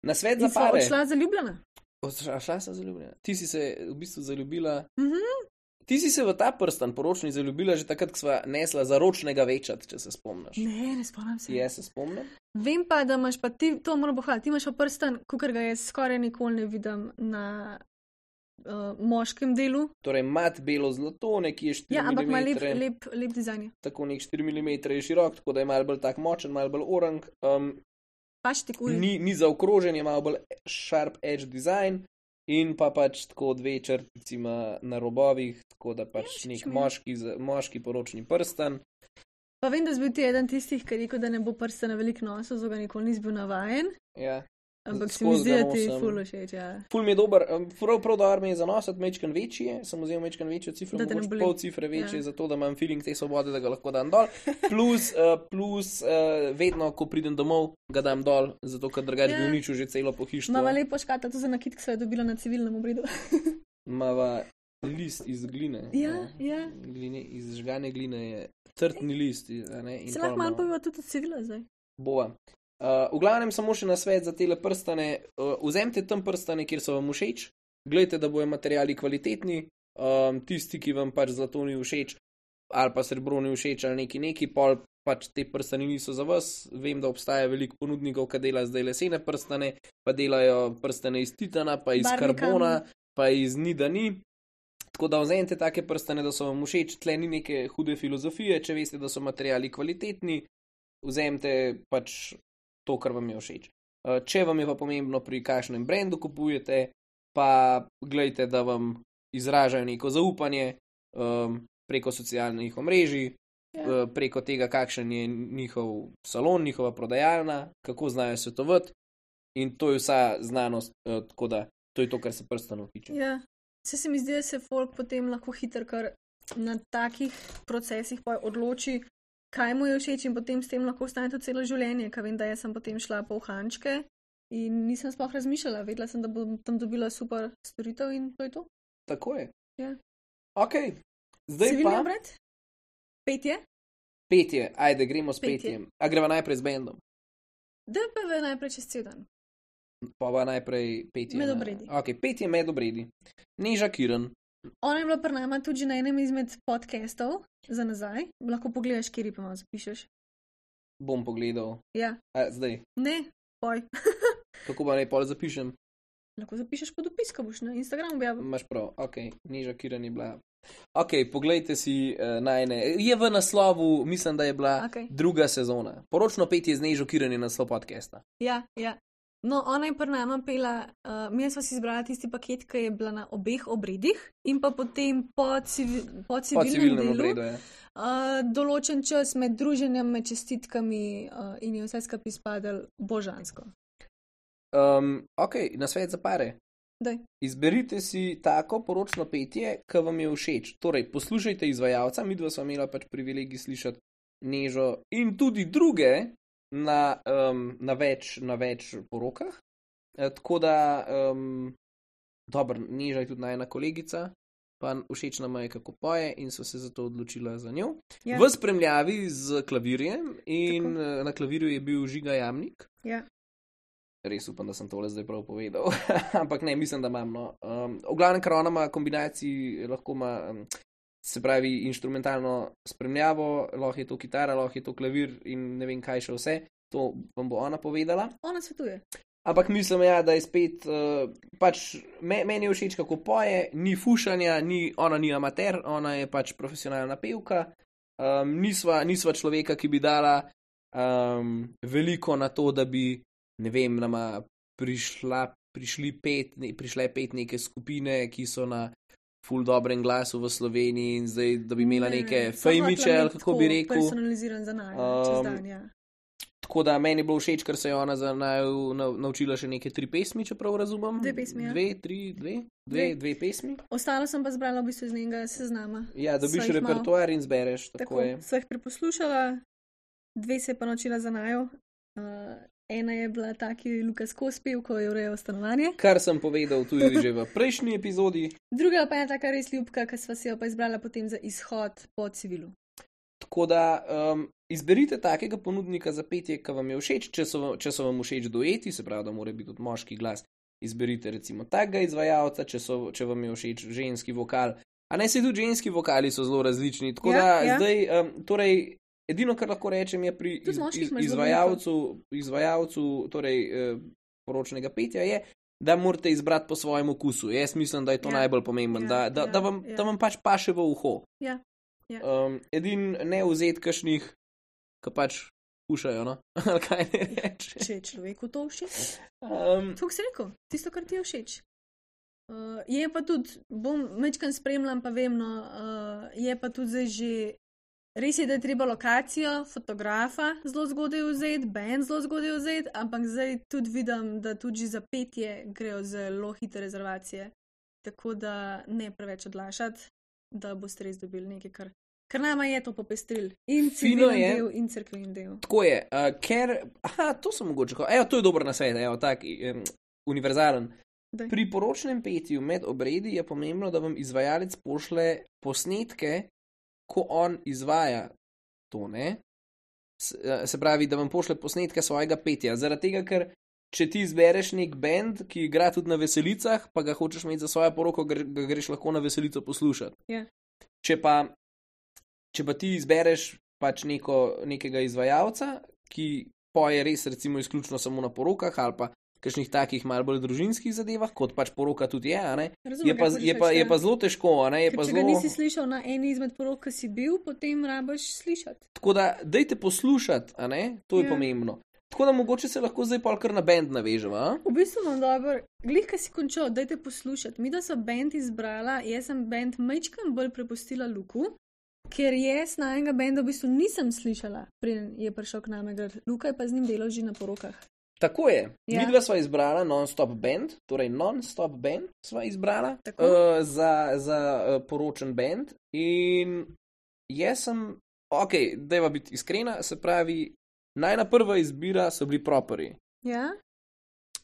Na svet za In sva pare. odšla zaljubljena. Odšla šla sem zaljubljena. Ti si se v bistvu zaljubila. Mhm. Ti si se v ta prstan poročni zaljubila že takrat, ko sva nesla zaročnega večat, če se spomniš. Ne, ne spomnim se. Jaz se spomnim. Vem pa, da imaš pa ti, to moram pohvaliti, ti imaš pa prsten, kukar ga jaz skoraj nikoli ne vidim na uh, moškem delu. Torej, mat belo zlato, nekje štiri Ja, ampak ima lep, milimetre. lep, lep dizajn. Tako nek štiri milimetre je širok, tako da je malo bolj tak močen, malo bolj orang. Um, Paš ti kul. ni, ni zaokrožen, je malo bolj sharp edge design in pa pač tako dve črtici ima na robovih, tako da pač všeč nek mi je. moški, z- moški poročni prstan. Pa vem, da si bil ti eden tistih, ki je rekel, da ne bo prstena veliko nosil, zato ga nikoli nisi bil navajen. Ja. Ampak se mi skozi zdi, ga da ti nosim. ful všeč, ja. Ful mi je dober, um, prav, prav dober mi je zanositi mečken večji, sem vzel mečken večjo cifro, Da te ne mogoče boli. pol cifre večje, Ja. zato da imam feeling te svobode, da ga lahko dam dol. Plus, uh, plus uh, vedno, ko pridem domov, ga dam dol, zato ker drugače Ja. bi uničil že celo pohištvo. Mava lepo škatla to za nakit, ki so jo dobila na civilnem obredu. Mava list iz gline. Ja, ja. Gline, iz žgane gline je trtni list. a Ne, in Se pol lahko malo imamo- poveva tudi od civila zdaj. Bova. Uh, v glavnem samo še na svet za tele prstane. Uh, vzemite tam prstane, kjer so vam všeč, gledajte, da bojo materiali kvalitetni, um, tisti, ki vam pač zlato ni všeč, ali pa srebro ni všeč, ali neki neki, pol pač te prstani niso za vas. Vem, da obstaja veliko ponudnikov, ki delajo zdaj lesene prstane, pa delajo prstane iz titana, pa iz Barvni karbona, kamen. pa iz nida ni. Tako da vzemite take prstane, da so vam všeč, tle ni neke hude filozofije, če veste, da so materiali kvalitetni, vzemite pač to, kar vam je všeč. Uh, Če vam je pa pomembno, pri kakšnem brendu kupujete, pa gledajte, da vam izražajo neko zaupanje um, preko socialnih omrežij, Ja. uh, preko tega, kakšen je njihov salon, njihova prodajalna, kako znajo svetovati. In to je vsa znanost, uh, tako da to je to, kar se prstanov tiče. Ja. Se, se mi zdi, da se folk potem lahko hitro kar na takih procesih pa odloči, kaj mu je všeč in potem s tem lahko ostane to celo življenje, ker vem, da jaz sem potem šla po uhančke in nisem sploh razmišljala, vedela sem, da bom tam dobila super storitev in to je to. Tako je. Ja. Ok, zdaj Civilni pa obred? Petje? petje, ajde, gremo s Petje. petjem. A greva najprej z bendom. D P V najprej čez cel dan. Pa pa najprej petje. Med na- obredi. Ok, petje med obredi. Neža Kiran. Ona je bila pri nama tudi že na enem izmed podcastov za nazaj. Lahko pogledaš, kjer pa malo zapišeš. Bom pogledal. Ja, A, zdaj, ne, poj. kako pa naj pol zapišem? Lahko zapišeš pod opis, ko boš na Instagramu objavil. Imaš prav, ok, Neža Kiran je bila. Ok, poglejte si uh, najne. Je v naslovu, mislim, da je bila Okej. druga sezona. Poročno petje z Nežo Kiran je naslov podcasta. Ja, ja. No, ona je pri nama pela, uh, mi smo si izbrali tisti paket, ki je bila na obeh obredih in pa potem po, civi, po Po civilnem civilnem delu. obredu je. Uh, določen čas med druženjem, med čestitkami uh, in je vse skupaj izpadel božansko. Um, ok, na svet za pare. Daj. Izberite si tako poročno petje, ki vam je všeč. Torej, poslušajte izvajalca, mi dva smo imela pač privilegij slišati Nežo in tudi druge na, um, na, več, na več porokah. E, tako da, um, dobro, Neža je tudi najna kolegica, pa všeč nam je, kako poje in so se zato odločila za njo. Ja. V spremljavi z klavirjem in Tako. eh, na klavirju je bil Žiga Jamnik. Ja. Res upam, da sem tole zdaj prav povedal, ampak ne, mislim, da imam. No. Um, v glavnem, ker ona ima kombinaciji, lahko ima, um, se pravi, inštrumentalno spremljavo, lahko je to kitara, lahko je to klavir in ne vem kaj še vse, to vam bo ona povedala. Ona svetuje. Ampak mislim, ja, da je spet, uh, pač me, meni je všeč, kako poje, ni fušanja, ni, ona ni amater, ona je pač profesionalna pevka, um, nisva, nisva človeka, ki bi dala um, veliko na to, da bi, ne vem, nama prišla, prišli pet, ne, prišle pet neke skupine, ki so na ful dobrem glasu v Sloveniji in zdaj, da bi imela Ne, neke sem fejmiče, hotela ali imeti kako tako bi rekel. Personaliziran za naj, čez Um, dan, ja. Tako da meni je bilo všeč, ker se je ona za naju nav- naučila še neke tri pesmi, če prav razumem. Dve pesmi, ja. Dve, tri, dve, dve, Dve. dve pesmi. Ostalo sem pa zbrala v bistvu iz njenega seznama. Ja, dobiš Sva jih malo- repertoar in zbereš, tako, Tako, je. sva jih preposlušala, dve se je pa naučila za najo. Uh, ena je bila taki Lukas Kospil, ko je urejal stanovanje, Kar sem povedal tudi že v prejšnji epizodi. druga pa je taka res ljubka, ki sva si jo pa izbrala potem za izhod po civilu. Tako da um, izberite takega ponudnika za petje, ki vam je všeč, če so, vam- če so vam všeč dueti, se pravi, da mora biti tudi moški glas. Izberite recimo takega izvajalca, če, so, če vam je všeč ženski vokal. A ne se tudi ženski vokali so zelo različni. Tako Ja, da ja. zdaj, um, torej, edino, kar lahko rečem, je pri Tudi iz, moških iz, imaš zelo izvajalcu, izvajalcu torej, eh, poročnega petja, je, da morate izbrati po svojem okusu. Jaz mislim, da je to Ja. najbolj pomembno, Ja, da, da, ja, da, vam, ja. da vam pač paše v uho. Ja, ja. Um, edin ne vzeti kašnih, ki pač pušajo, no? Ali kaj ne reče. Če je človeku to všeč. Um, Tako si rekel, tisto, kar ti je všeč. Uh, je pa tudi, bom mečkam spremljam, pa vem, no, uh, je pa tudi zdaj že res je, da je treba lokacijo, fotografa zelo zgodaj vzeti, band zelo zgodaj vzeti, ampak zdaj tudi vidim, da tudi za petje grejo zelo hitre rezervacije. Tako da ne preveč odlašati, da boste res dobili nekaj, kar, kar nama je to popestril. In civilni del, in cerkveni del. Tako je, uh, ker, aha, to sem mogoče, evo, to je dober nasvet, evo, tak, um, univerzalen. Daj. Pri poročnem petju med obredi je pomembno, da vam izvajalec pošle posnetke, ko on izvaja to, ne? Se pravi, da vam pošle posnetke svojega petja. Zaradi tega, ker če ti izbereš nek band, ki igra tudi na veselicah, pa ga hočeš imeti za svojo poroko, ga greš lahko na veselico poslušati. Yeah. Če pa, če pa ti izbereš pač neko, nekega izvajalca, ki poje res recimo izključno samo na porokah ali pa kakšnih takih malo bolj družinskih zadevah, kot pač poroka tudi je, a ne? Razumem, je, pa, je, pa, je pa zelo težko, a ne? Je pa če zelo... ga nisi slišal na eni izmed porok, ki si bil, potem rabaš slišati. Tako da, dajte poslušati, a ne? To je Ja. pomembno. Tako da mogoče se lahko zdaj pol kar na band naveževa, a? V bistvu vam dobro, glih, kaj si končal, dajte poslušati. Mi, da so band izbrala, jaz sem band majčkam bolj prepustila Luku, ker jaz na enega benda v bistvu nisem slišala, preden je prišel k nam igrati. Luka je pa z njim delal že na porokah. Tako je. Ja. Midva sva izbrala non-stop band, torej non-stop band sva izbrala Tako. uh, za, za uh, poročen band in jaz sem, ok, dajva biti iskrena, se pravi, najna prva izbira so bili properi. Ja?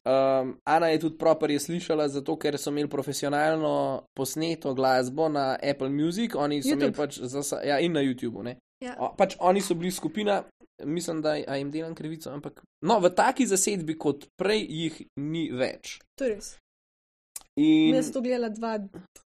Um, Ana je tudi properje slišala, zato ker so imeli profesionalno posneto glasbo na Apple Music, oni so YouTube. imeli pač zasa, ja, in na YouTubeu, ne. Ja. O, pač oni so bili skupina, mislim, da a jim delam krivico, ampak no, v taki zasedbi kot prej jih ni več. To je res. In Jaz sem to gledala dva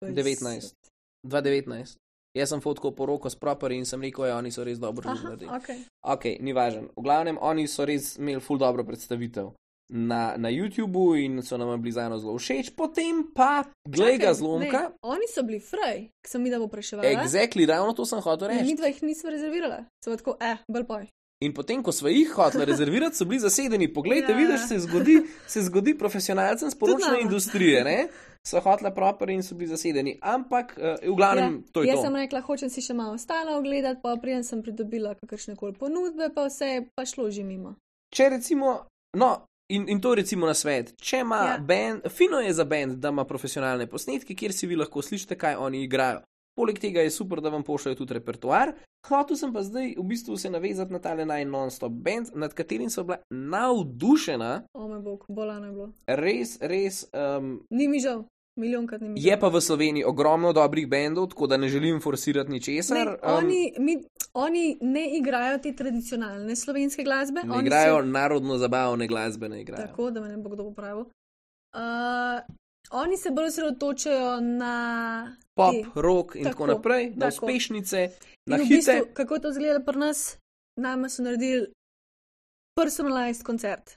devetnajst. dva devetnajst. Jaz sem fotkal poroko s properji in sem rekel, ja, oni so res dobro Aha, naredili. ok. Ok, ni važen. V glavnem, oni so res imeli ful dobro predstavitev na, na YouTubu in so nam bili zajno zelo všeč, potem pa, glej ga Čakaj, zlomka, ne, oni so bili fraj, ki sem mi da bo preševala. exactly, ravno to sem hotel In reči. mi dva jih nismo rezervirala. Sem tako, eh, bolj poj. In potem, ko smo jih hoteli rezervirati, so bili zasedeni. Poglejte, Ja. vidiš, se zgodi, se zgodi profesionalcem z poročne nama. industrije, ne? So hoteli proper in so bili zasedeni. Ampak, uh, v glavnem, ja, to je jaz to. sem rekla, hočem si še malo ostalo ogledati, pa prijem sem pridobila kakršne koli ponudbe, pa vse je pa šlo že mimo. Če recimo, no, in, in to recimo na svet, če ima Ja. ja. band, fino je za band, da ima profesionalne posnetke, kjer si vi lahko slišite, kaj oni igrajo. Poleg tega je super, da vam pošljajo tudi repertoar. Hotel sem pa zdaj v bistvu se navezati na tale naj non-stop band, nad katerim so bila navdušena, O moj bog, bolano je bilo. res, res. Um, Ni mi žal, milijonkrat ni mi žal. je pa v Sloveniji ogromno dobrih bendov, tako da ne želim forsirati ničesar. Ne, um, oni, mi, oni ne igrajo te tradicionalne slovenske glasbe. ne oni igrajo se, narodno zabavne glasbe, ne igrajo. tako, da me ne bo kdo popravil. Uh, oni se bolj osredotočajo na Pop, te- rock in tako, Tako, naprej, na tako. uspešnice, na In v hite. bistvu, kako to izgleda pri nas, nama so naredili personalized koncert.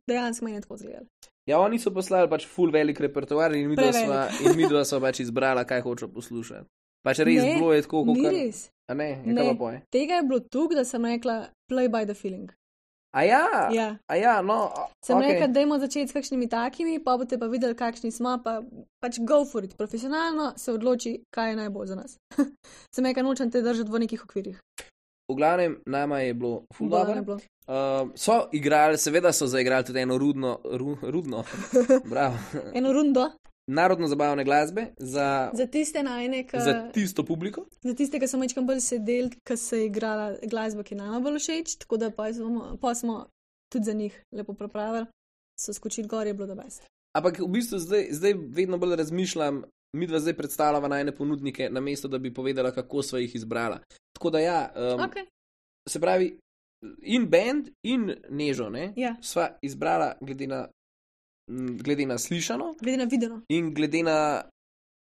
Dejansko meni je tako izgledalo. Ja, oni so poslali pač full velik repertoar in mi dva Prevelik. sva, in mi dva sva pač izbrala, kaj hoče poslušati. Pač res Ne, bilo je tako, kot Ni kar... res. A ne, je Ne. kaj pa poje. Tega je bilo tukaj, da sem rekla, play by the feeling. A ja, Ja. a ja, no, a- Sem okay. okej. rekla, dajmo začeti s kakšnimi takimi, pa boste pa videli, kakšni smo, pa pač go for it. Profesionalno se odloči, kaj je najbolj za nas. Sem rekla, nočem te držati v nekih okvirih. V glavnem, nama je bilo full Bolano je dobro. bilo. Uh, so igrali, seveda so zaigrali tudi eno rudno, ru, rudno, bravo, Eno rundo narodno zabavne glasbe za, za tiste najne, ki. za tisto publiko. Za tiste, ki so mečkam bolj sedeli, ki se je igrala glasba, ki je nama bolj všeč, tako da pa smo, pa smo tudi za njih lepo pripravili, so skočili gor, je bilo da best. Ampak v bistvu zdaj, zdaj vedno bolj razmišljam, mi dva zdaj predstavljava najne ponudnike, namesto da bi povedala, kako sva jih izbrala. Tako da ja, um, Okay. se pravi, in band, in Nežo, ne, Ja. sva izbrala glede na, m, glede na slišano Glede na videno. in glede na,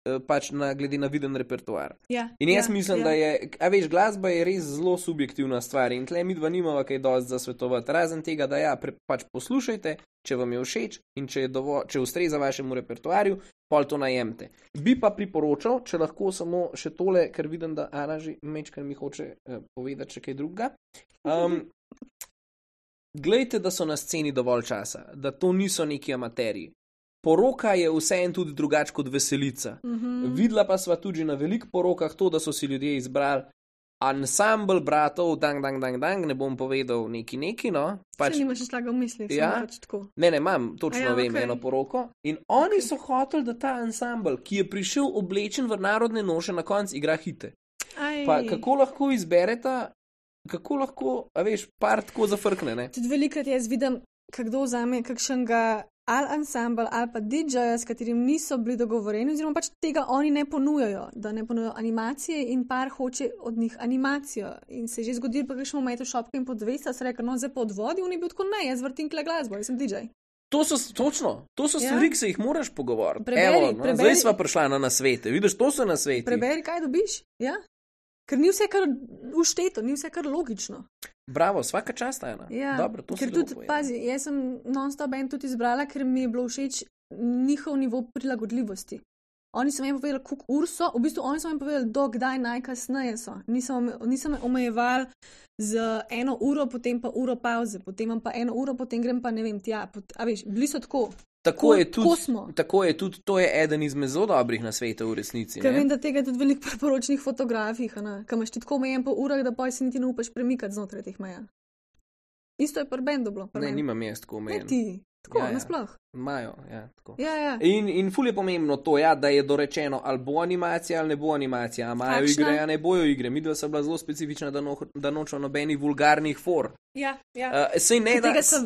eh, pač na, glede na viden repertoar. Ja, In jaz ja, mislim, ja. da je, a veš, glasba je res zelo subjektivna stvar in tle mi dva nimava kaj dosti za svetovati. Razen tega, da ja, pre, pač poslušajte, če vam je všeč in če, je dovo, če ustreza vašemu repertoarju, pol to najemte. Bi pa priporočal, če lahko samo še tole, ker vidim, da Ana že mečkar mi hoče eh, povedati še kaj drugega. Um, glejte, da so na sceni dovolj časa, da to niso neki amaterji. Poroka je vseeno tudi drugače kot veselica. Mhm. Videla pa sva tudi na velikih porokah to, da so si ljudje izbrali ansambl bratov, dang, dang, dang, dang, ne bom povedal neki neki, no. Pač, če nimaš šlaga v mislih, ja, pač tako. Ne, ne, imam, točno ja, vem, okay. eno poroko. In oni okay. so hoteli, da ta ansambl, ki je prišel oblečen v narodne noše, na koncu igra hite. Aj. Pa kako lahko izbereta, kako lahko, a veš, par tako zafrkne, ne? Tudi velikrat jaz vidim, kdo vzame kakšnega ali ansambl ali pa D J-ja, s katerim niso bili dogovoreni, oziroma pač tega oni ne ponujajo, da ne ponujajo animacije in par hoče od njih animacijo. In se je že zgodilo, pa greš v Meto Shopke in po dvesto, se reka, no zdaj po odvodi, on je bil tako, ne, jaz vrtim kle glasbo, jaz sem D J. To so, točno, to so ja. stvari, ki se jih moraš pogovoriti. Preberi, Evo, no, preberi. Zdaj sva prišla na nasvete, vidiš, to so nasveti. Preberi, kaj dobiš, ja. Ker ni vse kar ušteto, ni vse kar logično. Bravo, vsaka čast ena. Ja, dobro, to ker tudi, pazi, jaz sem non-stop band tudi izbrala, ker mi je bilo všeč njihov nivo prilagodljivosti. Oni so mi povedali, koliko ur so, v bistvu oni so mi povedali, do kdaj najkasneje so. Nisem, nisem me omejevali z eno uro, potem pa uro pauze, potem imam pa eno uro, potem grem pa ne vem, tja. Pot, a veš, bili so tako. Tako, ko, je tudi, smo. tako je tudi, to je eden izmed zelo dobrih nasvetov v resnici. Ker vem, da tega je tudi veliko priporočnih fotografij, ker imaš ti tako omejen po urah, da pa si niti ne upaš premikati znotraj teh meja. Isto je pri bendu bilo. Ne, nimam jaz tako omejen. Ne ti, tako, ja, ja. nasploh. Imajo, ja, tako. Ja, ja. In, in ful je pomembno to, ja, da je dorečeno, ali bo animacija ali ne bo animacija, a imajo igre, a ne bojo igre. Midva sta bila zelo specifična, da, no, da nočejo nobenih vulgarnih for. Ja, ja. Uh, sej ne, da... Sem,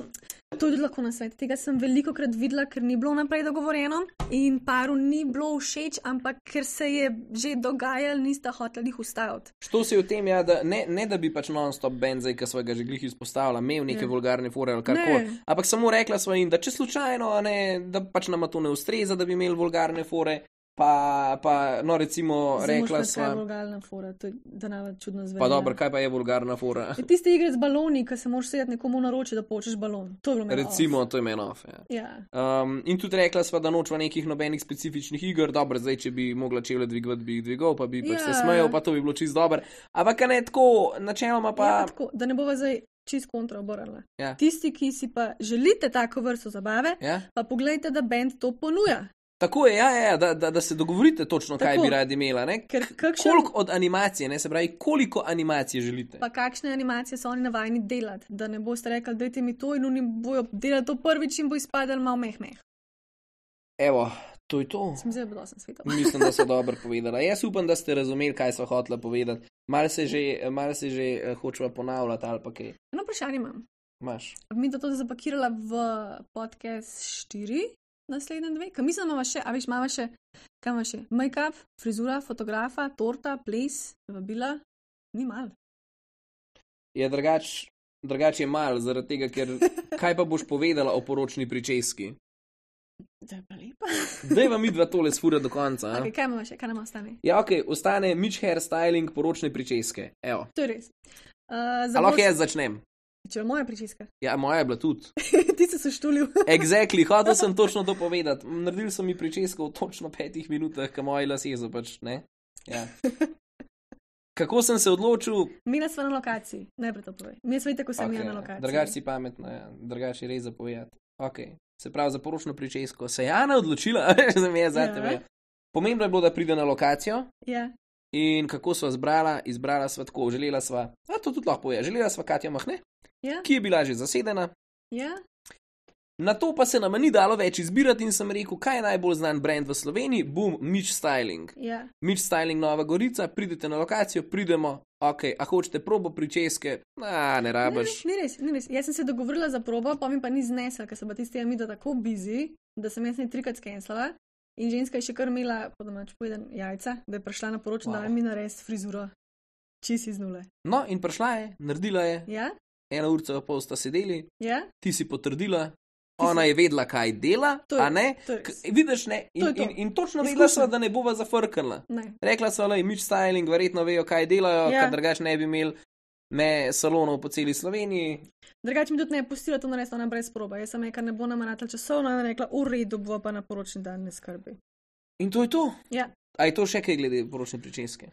to je lahko na svet. Tega sem veliko krat videla, ker ni bilo naprej dogovorjeno in paru ni bilo všeč, ampak ker se je že dogajalo, nista hoteli jih ustaviti. Što se je v tem, ja, da ne, ne da bi pač non-stop band, zdaj, ki svojega že glih izpostavila, imel neke ja. vulgarne fore ali karkoli, ampak samo rekla sva jim, da če slučajno, ne, da pač nama to ne ustreza, da bi imeli vulgarne fore, pa, pa no recimo Zdaj rekla sva... Kaj je vulgarna fora, to je danava čudno zveni. Pa dobro, kaj pa je vulgarna fora? Je tiste igre z baloni, ko se moraš sedeti nekomu na roči, da počeš balon. To je bilo meni Recimo, off. to je meni off, ja. ja. Um, in tudi rekla sva, da nočva nekih nobenih specifičnih iger, dobro, zdaj, če bi mogla čevlje dvigovati, bi jih dvigal, pa bi pač ja. se smejal, pa to bi bilo čist dober. Ampak ne tako, načeloma pa... Ja, pa tako, da ne bova zdaj čist kontra oborala. Ja. Tisti, ki si pa želite tako vrsto zabave, ja. pa pogledajte, da band to ponuja. Tako je, ja, ja, da, da, da se dogovorite točno, tako, kaj bi radi imela. Ker, kakšen... Koliko od animacije, ne se pravi, koliko animacije želite. Pa kakšne animacije so oni navajeni delati, da ne boste rekli, dajte mi to in oni bojo delati to prvič in bo izpadel malo meh meh. Evo, to je to. Sem zelo dosen svetov. Mislim, da so dobro povedala. Jaz upam, da ste razumeli, kaj so hotela povedati. Mal se že, mal se že uh, hočeva ponavljati ali pa kaj. Eno vprašanje imam. Imaš. Mi to tudi zapakirala v podcast štiri. Naslednje dve, kaj mislim, imamo še, a veš, imamo še, kaj imamo še, make-up, frizura, fotografa, torta, ples, vabila, ni mal. Ja, drugač, drugač je mal, zaradi tega, ker kaj pa boš povedala o poročni pričeski? Da je pa lepa. Daj vam midva tole sfura do konca. Okay, kaj imamo še, kaj nam ostane? Ja, ok, ostane Mitch hairstyling poročne pričeske, evo. To je res. Uh, Ali lahko jaz začnem? Če je moja pričeska. Ja, moja je bila tudi. Ti si se štulil. Exactly, hotel sem točno to povedati. Naredili so mi pričesko v točno petih minutah, ka moji lasje so pač, ne? Ja. Kako sem se odločil? Mila sva na lokaciji, najprej to povej. Mi smo tako sem okay. na lokaciji. Drugač si pametna, ja. Drugač je res zapovedati. Ok, se pravi za poročno pričesko. Se je Ana odločila, za me je za tebe. Ja. Pomembno je bilo, da pride na lokacijo. Ja. In kako sva zbrala? Izbrala sva tako, želela sva, a to tudi lahko je, želela sva Katja Mahne, ja. ki je bila že zasedena. Ja. Na to pa se nama ni dalo več izbirati in sem rekel, kaj je najbolj znan brand v Sloveniji? Boom, Mitch Styling. Ja. Mitch Styling Nova Gorica, pridete na lokacijo, pridemo, ok, a hočete probo pričeske? A, ne rabaš. Ni res, ni res. Jaz sem se dogovorila za probo, pa mi pa ni znesla, ker sem pa tisti Amida tako busy, da sem jaz ne trikrat skenslala. In ženska je še kar imela, po domač povedan, jajca, da je prišla na poročno, wow. Da mi nares frizuro. Čisi iz nule. No, in prišla je, naredila je. Ja? Ena urca pa pol sta sedeli. Ja? Ti si potrdila. Ti Ona si... je vedela, kaj dela, je, a ne? K- vidiš, ne? In, to to. in, in točno vedela sva, da ne bova zafrknila. Rekla sva, da je Mitch Styling, verjetno vejo, kaj delajo, ja. Ker drugač ne bi imeli ne salonov po celi Sloveniji. Drugač mi tudi ne je pustila to narediti, ona brez proba. Jaz sem rekla, ne bo nama natal časovno, ona je rekla, v redu, bo pa na poročni dan ne skrbi. In to je to? Ja. A je to še kaj glede poročne pričeske?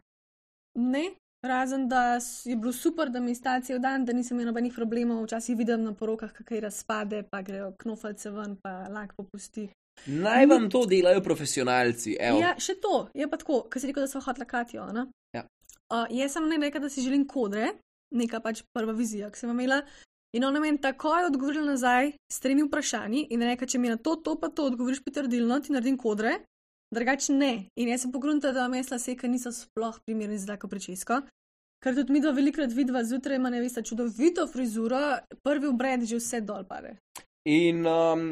Ne, razen da je bilo super, da mi sta cel dan, da nisem imela nobenih problemov, včasih vidim na porokah, kakaj razpade, pa grejo knofalce ven, pa lak popusti. Naj vam to delajo profesionalci, evo. Ja, še to, je pa tako, ker si rekel, da sva hotla Katjo, ne? Ja. uh, jaz sem ne rekel, da si želim kodre, neka pač prva vizija, ki sem imela. In ona meni takoj odgovorila nazaj s tremi vprašanji in reka, če mi na to, to pa to odgovoriš pritrdilno, ti naredim kodre, drugače ne. In jaz sem pogruntala, da vam jaz lase, ker niso sploh primerni za tako pričesko. Ker tudi mi dva velikrat vidva zjutraj ima nevesta čudovito frizuro, prvi obred že vse dol pade. In um,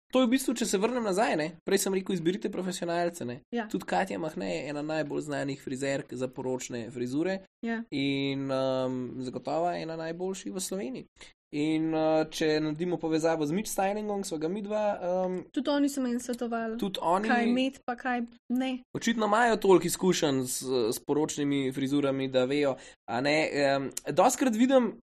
to je v bistvu, če se vrnem nazaj, ne? Prej sem rekel, izberite profesionalce. Ne? Ja. Tudi Katja Mahne je ena najbolj znanih frizerk za poročne frizure Ja. in um, zagotovo ena najboljših v Sloveniji. In uh, če naredimo povezavo z Mitch Stylingom, so ga mi dva. Um, tudi oni so meni svetovali, tudi oni, kaj imeti, pa kaj ne. Očitno imajo toliko izkušenj s, s poročnimi frizurami, da vejo. Um, Doskrat vidim.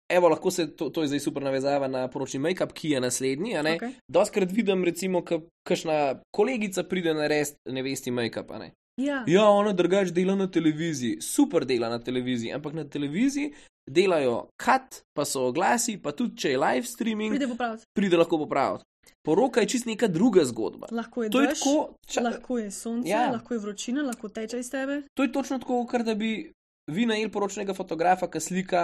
Evo, lahko se, to, to je zdaj super navezava na poročni make-up, ki je naslednji, a ne? Okay. Doskrat vidim, recimo, kakšna kolegica pride narediti nevesti make-up, a ne? Ja. Ja, ona drugače dela na televiziji, super dela na televiziji, ampak na televiziji delajo cut, pa so oglasi, pa tudi če je live streaming, Pride popraviti. pride lahko popraviti. Poroka je čist neka druga zgodba. Lahko je To je dež, tako, ča, lahko je sonce, Ja. lahko je vročina, lahko teče iz tebe. to je točno tako, kar da bi vi najeli poročnega fotografa, ki slika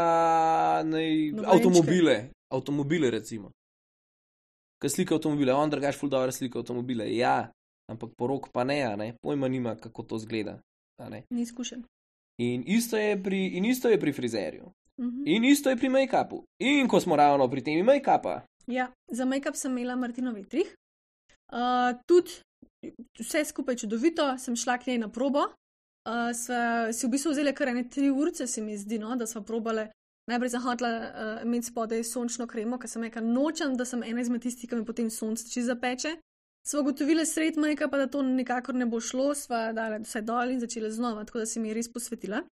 nej, Nobenčke. avtomobile, avtomobile recimo. Ki slika avtomobile, on drugač ful dobro slika avtomobile, ja, ampak porok pa ne, a ne, pojma nima, kako to zgleda, a ne. Ni izkušen. In isto je pri, in isto je pri frizerju. Mhm. In isto je pri make-upu. In ko smo ravno pri temi make-upa. Ja, za make-up sem imela Martino Vetrih. Uh, tudi vse skupaj čudovito, sem šla k njej na probo. Uh, sva si v bistvu vzeli kar ene tri urce, se mi zdi, no, da sva probale. Najprej sem hotela uh, imeti spodaj sončno kremo, ker sem rekla, nočem, da sem ena izmed tistih, ki mi potem sonce čisto zapeče. Sva ugotovili sred make-upa, da to nikakor ne bo šlo, sva dala vse dol in začela znova, tako da si mi je res posvetila.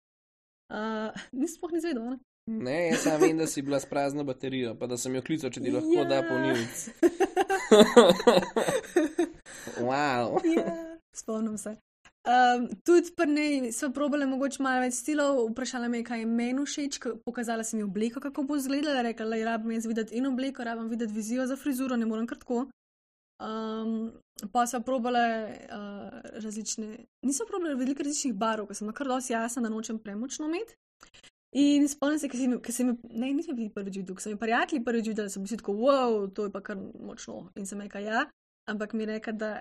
Uh, Nisem sploh ni zvedela, ne? Ne, jaz sam vem, da si bila s prazno baterijo, pa da sem jo klical, če ti lahko Ja. da polnilc. Wow. Ja, spomnim se. Um, tudi pri njej so probale mogoče malo več stilov, vprašala me je, kaj je meni všeč, k- pokazala sem ji obleko, kako bo izgledala, rekla, da rabim jaz videti in obleko, rabim videti vizijo za frizuro, ne morem kar tako. Um, pa so probale uh, različne, niso probale veliko različnih barv, ker sem kar dosti jasna, da nočem premočno imeti. In spomnim se, ker sem jim, ne, nisem bili prvič videl, ker sem jim prijatelji prvič videl, da sem si tako, wow, to je pa kar močno. In sem rekla, ja, ampak mi je rekla, da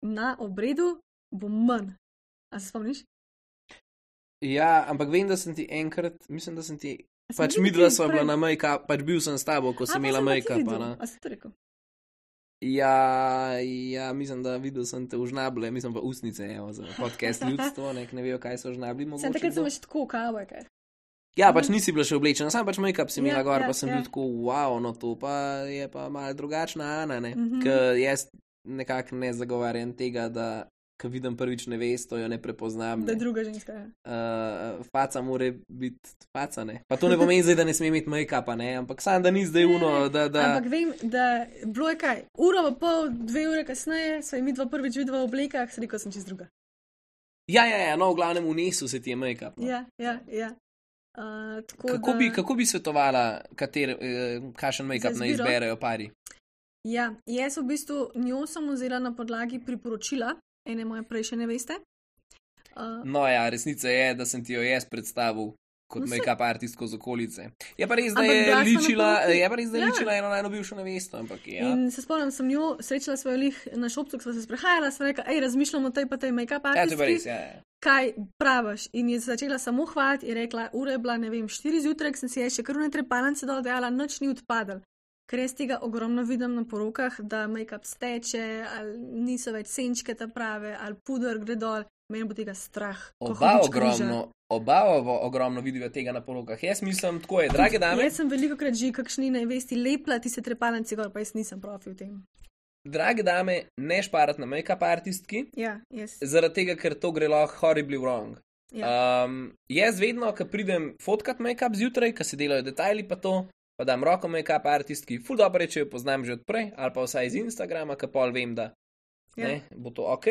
na obredu bo manj. A se spomniš? Ja, ampak vem, da sem ti enkrat, mislim, da sem ti, A sem pač videl midva ti sva bila prej? na make-up, pač bil sem s tabo, ko A, sem pa imela sem pa ti make-up, videl. a ne. A si to rekel? Ja, ja, mislim, da videl sem te v žnable, mislim pa usnice, evo, za podcast ljudstvo, nek ne vejo, kaj so žnabli, Sem mogoče. takrat sem kdo. več tako kavoj, kaj. Ja, pač nisi bila še oblečena, sam pač make-up si imela Ja, gor, ja, pa sem ja. bil tako, wow, no to pa je pa malo drugačna Ana, ne. Mhm. Ker jaz nekako ne zagovarjam tega, da ko vidim prvič nevesto, jo ne prepoznam. Da Ne. je druga ženska. Ja. Uh, faca mora biti faca, ne. Pa to ne pomeni zdaj, da ne sme imeti make-upa, ne, ampak sam, da ni zdaj uno, da, da... Ampak vem, da bilo je kaj, uro pa pol, dve ure kasneje, sva mi dva prvič videla v oblekah, se rekel sem čist druga. Ja, ja, ja, no, v glavnem unesel se ti je make-up. No. Ja, ja, ja. Uh, tako Kako, da, bi, kako bi svetovala, kater, eh, kakšen make-up Za naj izbiro? izberejo pari? Ja, jaz v bistvu njo sem vzela na podlagi priporočila ene moje prejšnje neveste. Uh, No ja, resnica je, da sem ti jo jaz predstavil kot No, saj- make-up artistko z okolice. Je pa res, da Ampak je bila sva na ličila, poroki. je pa res, da je Ja. ličila eno najno bivšo nevesto, ampak ja. In se spomnim, sem njo srečala svojo lih na šopcu, ko sva se sprehajala, sva rekla, hej, razmišljam o tej pa tej make-up Ja, to je pa artistki. res, ja. ja. Kaj praviš? In je začela samo hvaliti in rekla, ura je bila, ne vem, štiri zjutraj, ko sem si jaz še krvne trepalnice dol dejala, nič ni odpadel. Ker jaz tega ogromno vidim na porokah, da make-up steče, ali niso več senčke ta prave, ali puder gre dol, meni bo tega strah. ko Oba hudič križa. ogromno, oba ovo ogromno vidijo tega na porokah. Jaz mislim, tako je, drage dame, Jaz sem veliko krat že kakšni nevesti lepla tiste trepalnice gor, pa jaz nisem profi v tem. drage dame, ne šparati na make-up artistki, Ja, jaz. zaradi tega, ker to gre lahko horribly wrong. Ja. Um, jaz vedno, ko pridem fotkat make-up zjutraj, ko se delajo detajli pa to, pa dam roko make-up artistki, ful dobro reče, jo poznam že odprej, ali pa vsaj iz Instagrama, ko pol vem, da Ja. ne, bo to ok.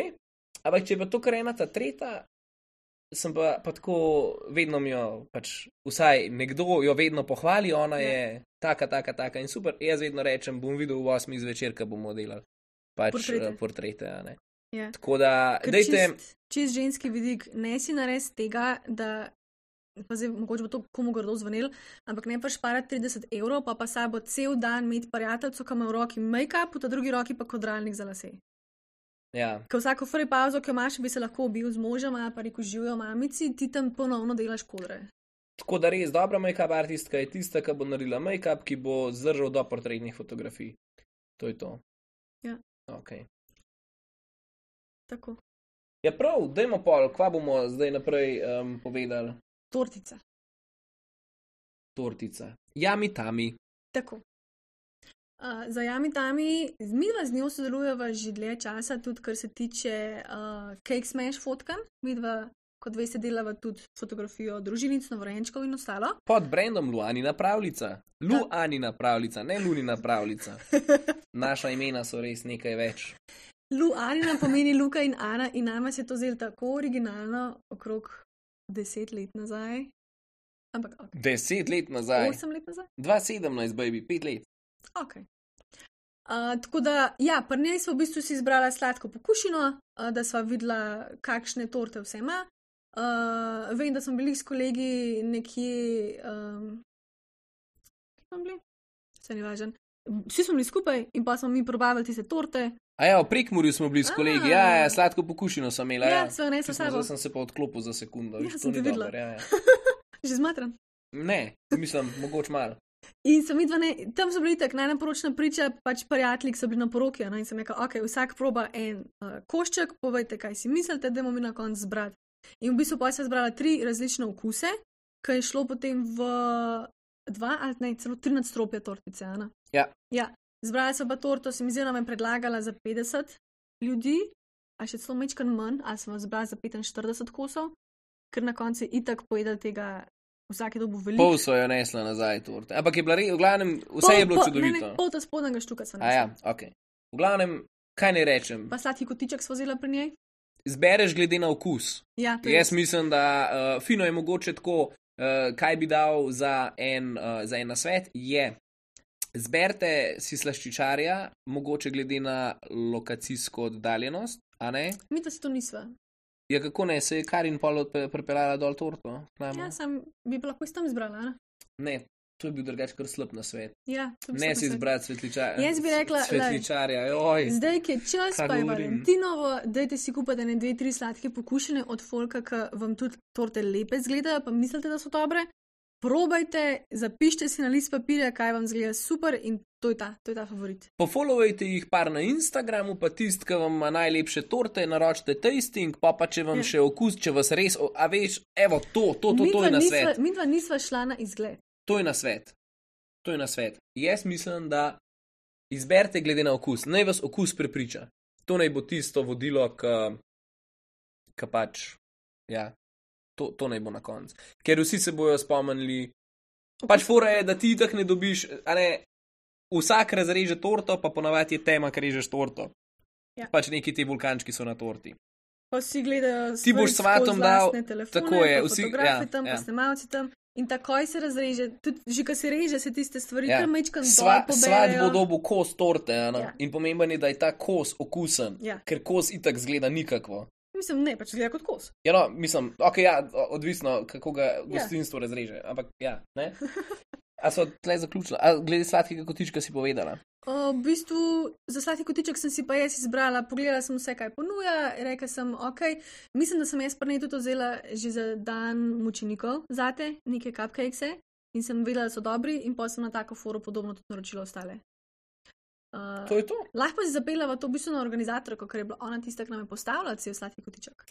Ampak če pa to kar ena ta tretja, sem pa, pa tako, vedno mi jo, pač vsaj nekdo jo vedno pohvali, ona Ja. je taka, taka, taka in super. Jaz vedno rečem, bom videl v osmih zvečer, ko bomo delali pač Portrete. portrete. portrete a ne. Ja. Tako da, Ker dejte, čist, čist ženski vidik, ne si nares tega, da pa zdaj mogoče bo to komu grdo zvenel, ampak ne pa šparati trideset evrov, pa pa sabo cel dan imeti prijateljco, ki ima v roki make-up, v ta drugi roki pa kodralnik za lase. Ja. Ker vsako free pauzo, ki jo imaš, bi se lahko ubil z možem, ali pa rekel živijo mamici, ti tam ponovno delaš kodre. Tako da res dobra make-up artistka je tista, ki bo naredila make-up, ki bo zdržal do portretnih fotografij. To je to. Ja. Ok. Tako. Ja prav, dajmo pol, kva bomo zdaj naprej um, povedali? Tortica. Tortica. Jami tami. Tako. Uh, za Jami tami, midva z njo sodelujeva že dlje časa, tudi kar se tiče uh, Cake Smash fotkan. Midva, kot veste, delava tudi fotografijo družinic, novorojenčkov in ostalo. Pod brandom Luanina pravljica. Luanina pravljica, ne Lunina pravljica. Naša imena so res nekaj več. Luanina pomeni Luka in Ana in nama se je to zdelo tako originalno okrog deset let nazaj. Ampak, ok. Deset let nazaj. Osem let nazaj? dva sedemnajst, baby, pet let. Ok. Uh, tako da, ja, pri njej smo v bistvu si izbrala sladko pokušino, uh, da sva videla, kakšne torte vse ima. Uh, vem, da smo bili s kolegi nekje. Um, Kje smo bili? Vse ni važen. Vsi smo bili skupaj in pa smo mi probavali tiste torte. A ja, v Prekmurju smo bili s kolegi, ja, ja, sladko pokušino sem imela. Ja, ja. sva nesla sabo. Zdaj sem se pa odklopil za sekundo. Ja, Viš, sem te videla. Dober, ja, ja. Že zmatran. Ne, mislim, mogoče malo. In sem videla, ne, tam so bili tak najnaporočna priča, pač prijatelji, ki so bili na poroki, no, in sem rekla, ok, vsak proba en uh, košček, povejte, kaj si mislite, da bomo mi na koncu zbrati. In v bistvu pa sem zbrala tri različne okuse, ki je šlo potem v dva ali ne, celo tri nadstropja tortice, Ana. Ja. Ja, zbrala sem pa torto, se mi zdi, da me predlagala za petdeset ljudi, a še celo mečkan manj, ali sem zbrala za petinštirideset kosov, ker na koncu je itak pojedel tega. Vsake dobu veliko. Pol so jo nesla nazaj torte. Ampak je bila res, v glavnem, vse pol, je bilo pol, čudovito. Ne, ne, pol ta spodnega štuka sem nesla. A ja, ok. V glavnem, kaj ne rečem? Pa sladki kotiček smo vzela pri njej? Zbereš glede na okus. Ja, to je. Jaz mislim, da uh, fino je mogoče tako, uh, kaj bi dal za en, uh, za en nasvet, je zberte si slaščičarja, mogoče glede na lokacijsko oddaljenost, a ne? Mi to si to nisva. Ja, kako ne, se je Karin pol pripeljala dol torto? Ja, sem bi pa lahko s tam izbrala, ne? Ne, to je bil drugač kar slab na svet. Ja, ne si izbrati svetličarja. Jaz bi rekla, svetličarja, oj. Zdaj, ki je čas, pa je Valentinovo, dajte si kupiti ne dve, tri sladke pokušine od folka, ki vam tudi torte lepe zgledajo, pa mislite, da so dobre. Probajte, zapišite si na list papirja, kaj vam zgleda super in to je ta, to je ta favorit. Pofollowajte jih par na Instagramu, pa tist, ki vam ima najlepše torte, naročite tasting, pa pa če vam ja. še okus, če vas res, a veš, evo, to, to, to, to je na svet. Mi dva nisva šla na izgled. To je na svet. To je na svet. Jaz mislim, da izberite glede na okus. Naj vas okus prepriča. To naj bo tisto vodilo, ki pač, ja. To, to naj bo na koncu. Ker vsi se bojo spomnili, pač fora je, da ti tak ne dobiš, a ne, vsak razreže torto, pa ponavadi je tema, ker režeš torto. Ja. Pač neki ti vulkančki so na torti. Pa vsi gledajo ti boš svatom dal, telefone, tako je, vsi, ja, ja, tam, ja. pa snemalci tam. In takoj se razreže, tudi že ko se reže, se tiste stvari ja. kar mečkam dol Sva, poberejo. Svat bo dobil kos torte, ja. In pomemben je, da je ta kos okusen, ja. Ker kos itak zgleda nikakvo. Mislim, ne, pač gleda kot kos. Ja, no, mislim, ok, ja, odvisno, kako ga gostinstvo ja. razreže, ampak ja, ne. A so tle zaključila? A glede sladkega kotička si povedala? O, v bistvu, za sladki kotiček sem si pa jaz izbrala, pogledala sem vse, kaj ponuja, rekla sem, ok, mislim, da sem jaz prnej tudi vzela že za dan mučenikov zate, neke cupcakese in sem vedela, da so dobri in pa sem na tako foru podobno tudi naročila ostale. Uh, to je to. Lahko si zapeljava to v bistvu na organizatorko, ker je bila ona tista, ki nam je postavila cel sladki kotiček.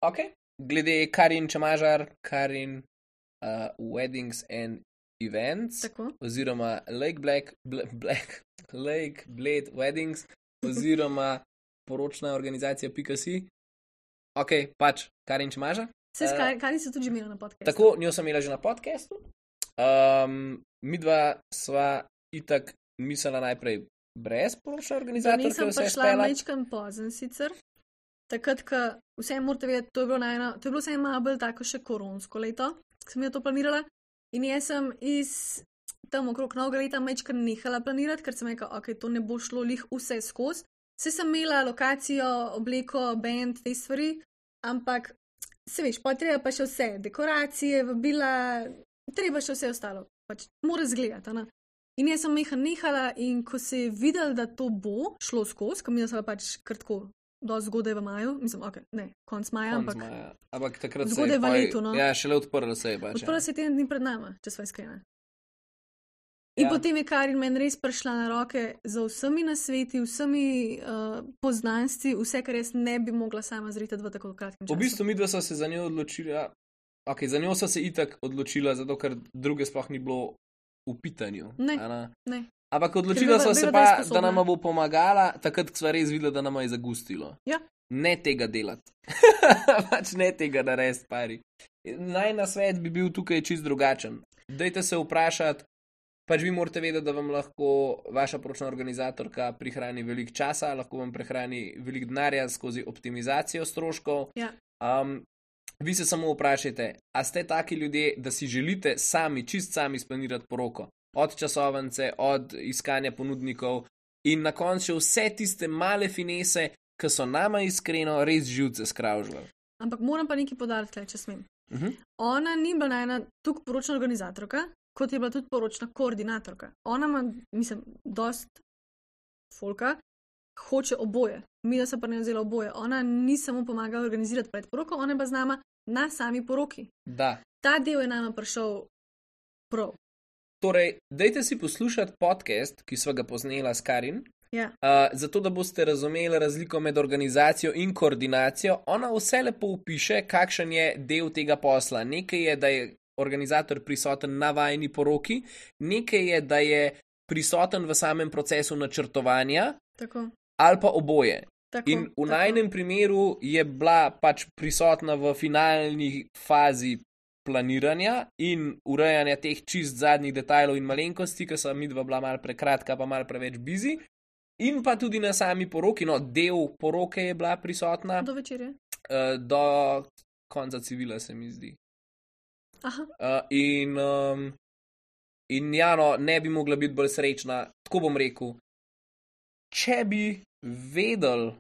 Ok, glede Karin Čemažar, Karin uh, Weddings and Events, tako. Oziroma Lake Black, Black, Black Lake Blade Weddings, oziroma poročna organizacija pika si. Ok, pač Karin Čemažar. Se s uh, Karin so tudi že imela na podcastu. Tako, njo sem imela že na podcastu. Um, midva sva itak mislila najprej brez poročne organizatorke, vse spela. Nisem pa šla mečkam pozen sicer. Takrat, ko vse morate vedeti, to je bilo, najna, to je bilo vse malo bolj tako še koronsko leto, ko sem jo to planirala. In jaz sem iz tam okrog novega leta mečkam nehala planirati, ker sem rekla, ok, to ne bo šlo lih vse skozi. Vse sem imela lokacijo, obleko, band, te stvari, ampak se veš, pa treba pa še vse, dekoracije, vabila, treba še vse ostalo, pač mora zgledati, ne. In jaz sem meha nehala in ko se je videl, da to bo šlo skozi, ko mi je pač kratko, dosti zgodaj v maju, mislim, ok, ne, konc maja, Konc ampak maja. Ampak takrat se zgodaj je v poj- letu, no. Ja, šele odprlo se je pač. odprla ja. se je teden dni pred nama, če sva iskrena. In Ja. potem je Karin meni res prišla na roke za vsemi nasveti, vsemi uh, poznanstvi, vse, kar jaz ne bi mogla sama zritati v tako kratkem času. V bistvu midva sva se za njo odločila, ok, za njo sva se itak odločila, zato ker druge sploh ni bilo v pitanju. Ne. a ne? Ne. Ampak odločila veva- sva se veva, da je pa, da sposobna. nama bo pomagala, takrat, ko sva res videla, da nama je zagustilo. Ja. Ne tega delati. pač ne tega narediti, pari. Naj nasvet bi bil tukaj čist drugačen. Dajte se vprašati, pač vi morate vedeti, da vam lahko vaša poročna organizatorka prihrani veliko časa, lahko vam prihrani veliko denarja skozi optimizacijo stroškov. Ja. Um, vi se samo vprašajte, a ste taki ljudje, da si želite sami, čist sami splanirati poroko? Od časovnice, od iskanja ponudnikov in na koncu še vse tiste male finese, ki so nama iskreno res živce skravžvali. Ampak moram pa nekaj podariti, tle, če smem. Uh -huh. Ona ni bila najna tukaj poročna organizatorka, kot je bila tudi poročna koordinatorka. Ona ima, mislim, dost folka, hoče oboje. Mi da se pa ne vzela oboje. Ona ni samo pomagala organizirati pred poroko, ona je pa z nama na sami poroki. Da. Ta del je nama prišel prav. Torej, dajte si poslušati podcast, ki sva ga posnela s Karin, Ja. uh, zato da boste razumeli razliko med organizacijo in koordinacijo. Ona vse lepo opiše, kakšen je del tega posla. Nekaj je, da je organizator prisoten na vajni poroki, nekaj je, da je prisoten v samem procesu načrtovanja Tako. ali pa oboje. Tako, In v tako. najnem primeru je bila pač prisotna v finalni fazi planiranja in urejanja teh čist zadnjih detajlov in malenkosti, ki so midva bila malo prekratka, pa malo preveč busy. In pa tudi na sami poroki, no, del poroke je bila prisotna Do večerje. uh, do konca civila, se mi zdi. Aha. Uh, in, um, in ja, no, ne bi mogla biti bolj srečna, tako bom rekel. Če bi vedeli,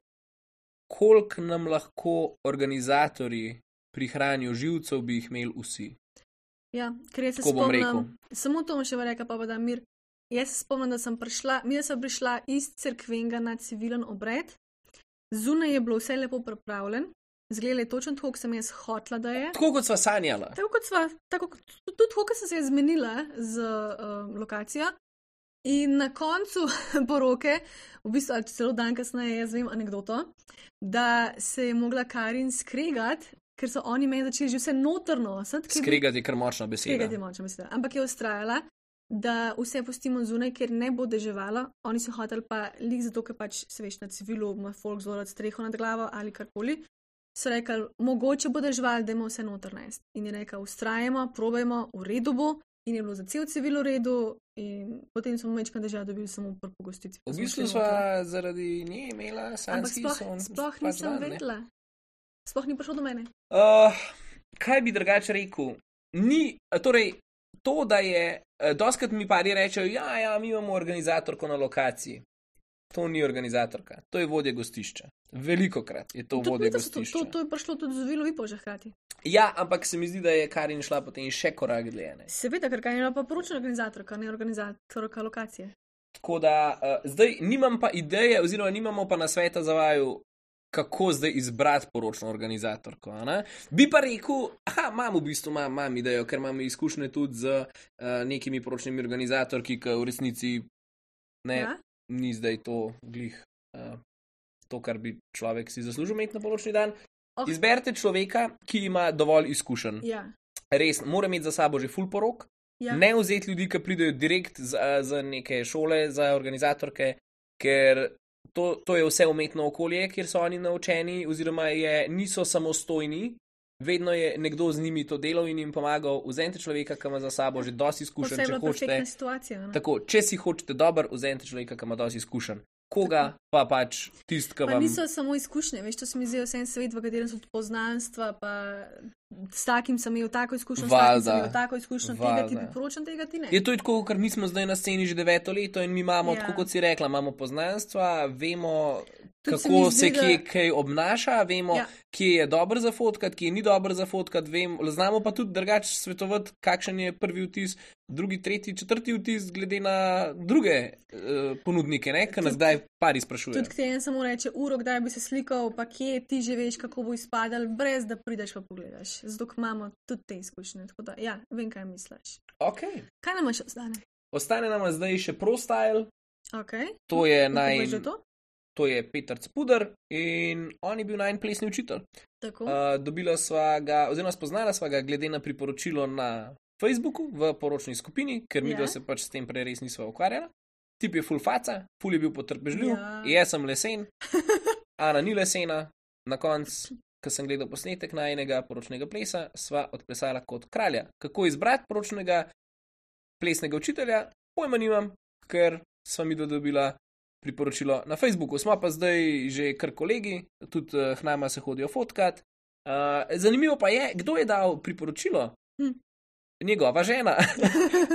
koliko nam lahko organizatorji prihranijo živcev, bi jih imeli vsi. Ja, ker jaz se Tako bom rekel. spomnim, samo to bom še rekla, pa pa da mir. Jaz se spomnim, da sem prišla, mi da sem prišla iz cerkvenga na civilen obred, zunaj je bilo vse lepo pripravljen, zgledalo je točno tako, kot sem jaz hotla, da je. Tako kot sva sanjala. Tako kot sva, tako, kot- tudi tako, kot sem se je zmenila z uh, lokacijo. In na koncu poroke, v bistvu ali celo dan kasneje, jaz vem anegdoto, da se je mogla Karin skregati, ker so oni meni začeli že vse notrno nositi. ker je bil- Skregati je kar močna beseda. Skregati je močna beseda. Ampak je ustrajala, da vse pustimo zunaj, ker ne bo deževalo. Oni so hoteli pa lik zato, ker pač se veš na civilu, ima folk zelo streho nad glavo ali karkoli. So rekli, mogoče bo deževalo, da imamo vse noter nest. In je rekel, ustrajamo, probajmo, v redu bo. In je bilo za cel civil v redu, in potem smo mečka dežela dobili samo prvo pogostici. V bistvu sva zaradi nje imela Ampak sanjski sploh, son. sploh pač nisem dan, ne. vedela. Sploh ni prišlo do mene. Uh, kaj bi drugače rekel? Ni, torej, to, da je, uh, doskrat mi pari rečejo, ja, ja, mi imamo organizatorko na lokaciji. To ni organizatorka, to je vodja gostišča. Velikokrat je to Tudi vodja mi, da so to, gostišča. to, to je prišlo tudi z Vilo Vipo že hkrati. Ja, ampak se mi zdi, da je Karin šla potem še korak dlje. ne. Seveda, ker kaj je bila pa poročna organizatorka, ne organizatorka lokacije. Tako da uh, zdaj nimam pa ideje, oziroma nimamo pa na sveta za vaju, kako zdaj izbrati poročno organizatorko. a ne? Bi pa rekel, aha, imam v bistvu imam, imam idejo, ker imam izkušnje tudi z uh, nekimi poročnimi organizatorki, ki v resnici ne, Ja? ni zdaj to glih, uh, to, kar bi človek si zaslužil imeti na poročni dan. Oh. Izberite človeka, ki ima dovolj izkušenj. Ja. Res, mora imeti za sabo že full porok. Ja. Ne vzeti ljudi, ki pridejo direkt z, z neke šole za organizatorke, ker to, to je vse umetno okolje, kjer so oni naučeni, oziroma je, niso samostojni, vedno je nekdo z njimi to delal in jim pomagal. Vzemite človeka, ki ima za sabo že dosti izkušenj, Vse je če bila hočete. perfektna situacija. Ne? Tako, če si hočete dober, vzemite človeka, ki ima dosti izkušenj. Koga pa pač tist, ki Pa vam. niso samo izkušnje, veš, to se mi zdi vse en svet, v katerem so tudi poznanstva, pa s takim sem imel tako izkušnjo, s takim sem Valjda. imel tako izkušnjo, tega ti Valjda. priporočam, tega ti ne. Je to tako, ker mi smo zdaj na sceni že deveto leto in mi imamo, Ja. tako kot si rekla, imamo poznanstva, vemo, Tudi se kako mi se zdi, kje da- kaj obnaša, vemo, Ja. kje je dobro za fotkat, kje ni dobro za fotkat, vem, znamo pa tudi drugače svetovati, kakšen je prvi vtis, drugi, tretji, četrti vtis, glede na druge uh, ponudnike, ne, ki nas Tudi- zdaj pari sprašujejo. Tudi k temu samo reče, uro, kdaj bi se slikal, pa kje ti že veš, kako bo izpadal, brez da prideš pa pogledaš. Zato ker imamo tudi te izkušnje. Tako da, ja, vem, kaj misliš. Okay. Kaj nam še ostane? Ostane nam zdaj še ProStyle, Okay. to je Lahko naj. poveš, da je to? To je Peter Spuder in on je bil najn plesni učitelj. Tako. Uh, dobila sva ga, oziroma spoznala sva ga glede na priporočilo na Facebooku v poročni skupini, ker mi Ja. dva se pač s tem prej res nisva ukvarjala. Tip je full faca, full je bil potrpežljiv, Ja. jaz sem lesen, Ana ni lesena. Na koncu, ko sem gledal posnetek najnega poročnega plesa, sva odplesala kot kralja. Kako izbrati poročnega plesnega učitelja, pojma nimam, ker sva mi dobila priporočilo na Facebooku. Smo pa zdaj že kar kolegi, tudi uh, k nama se hodijo fotkat. Uh, zanimivo pa je, kdo je dal priporočilo? Hm. Njegova žena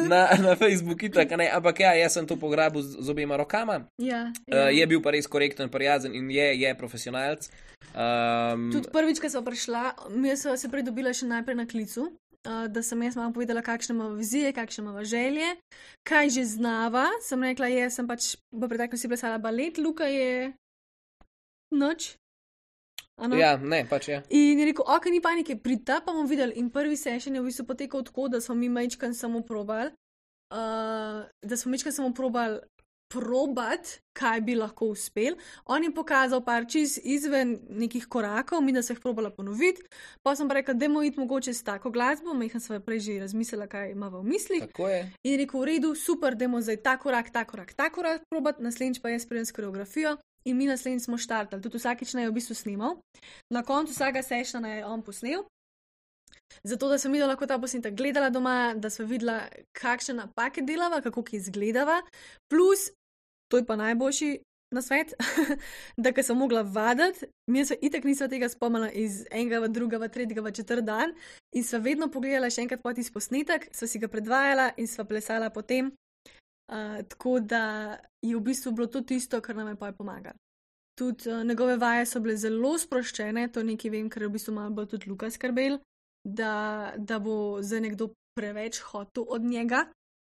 na, na Facebooku, itak, ne, ampak ja, jaz sem to pograbil z, z obema rokama. Ja, Uh, je bil pa res korekten, prijazen in je, je profesionalc. Um, Tudi prvič, ko sem prišla, mi smo se pridobila še najprej na klicu, uh, da sem jaz malo povedala, kakšne imamo vizije, kakšne imamo želje, kaj že znava. Sem rekla, jaz sem pač v preteklosti plesala balet, Luka je noč. Ano? ja, ne, pač je. In je rekel, ok, ni panike, pridta pa bomo videli. In prvi session je v bistvu potekal tako, da smo mi majčkan samo probali, uh, da smo majčkan samo probali probat, kaj bi lahko uspel. On je pokazal par čez izven nekih korakov, mi da se jih probala ponoviti. Pa sem pa rekla, da bomo iti mogoče s tako glasbo, mehna sva prej že razmislila, kaj imava v mislih. Tako je. In je rekel, v redu, super, da bomo zdaj ta korak, ta korak, ta korak probat, naslednjič pa jaz pridem s koreografijo. In mi naslednjič smo štartali, tudi vsakič naj je v bistvu snimal. Na koncu vsega sešna je on posnel, zato da sem videla lahko ta posnetek gledala doma, da sem videla, kakšne napake delava, kako ki izgledava. Plus, to je pa najboljši na svet, da ker sem mogla vaditi, mi se itek nisva tega spomnila iz enega v drugega, v tretjega, v četrt dan in sva vedno pogledala še enkrat po tisti posnetek, sva si ga predvajala in sva plesala potem. Uh, tako da je v bistvu bilo to tisto, kar nam je pa pomagalo. Tudi uh, njegove vaje so bile zelo sproščene, to nekaj vem, ker je v bistvu malo bolj tudi Luka skrbel, da, da bo zdaj nekdo preveč hotel od njega.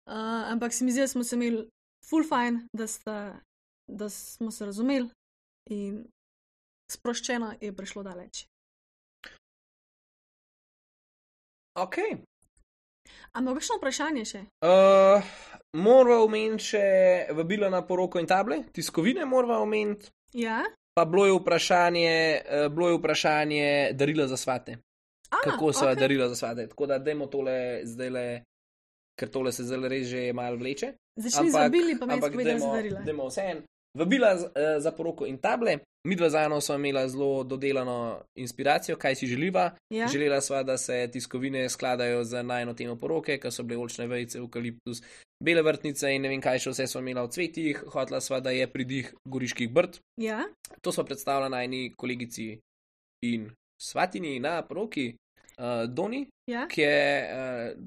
Uh, ampak se mi zdi, da smo se imeli full fine, da, sta, da smo se razumeli in sproščeno je prišlo daleč. Ok. Ampak kakšno vprašanje še? Uh, morava omeniti še vabilo na poroko in table, tiskovine morava omeniti, Ja? pa bilo je vprašanje, uh, bilo je vprašanje darila za svate. A, Kako so ok. darila za svate. Tako da dajmo tole zdaj le, ker tole se zdaj res že malo vleče. Začni z vabili, pa me povedala za darila. Dajmo vse en. Vabila z, uh, za poroko in table. Midva z Ano sva imela zelo dodelano inspiracijo, kaj si želiva. Ja? Želela sva, da se tiskovine skladajo z najno temo poroke, ker so bile oljčne vejice, eukaliptus, bele vrtnice in ne vem kaj še vse sva imela v cvetih. Hotla sva, da je pridih goriških brd. Ja? To sva predstavila najni kolegici in svatini na poroki, uh, Doni, Ja? ki je uh,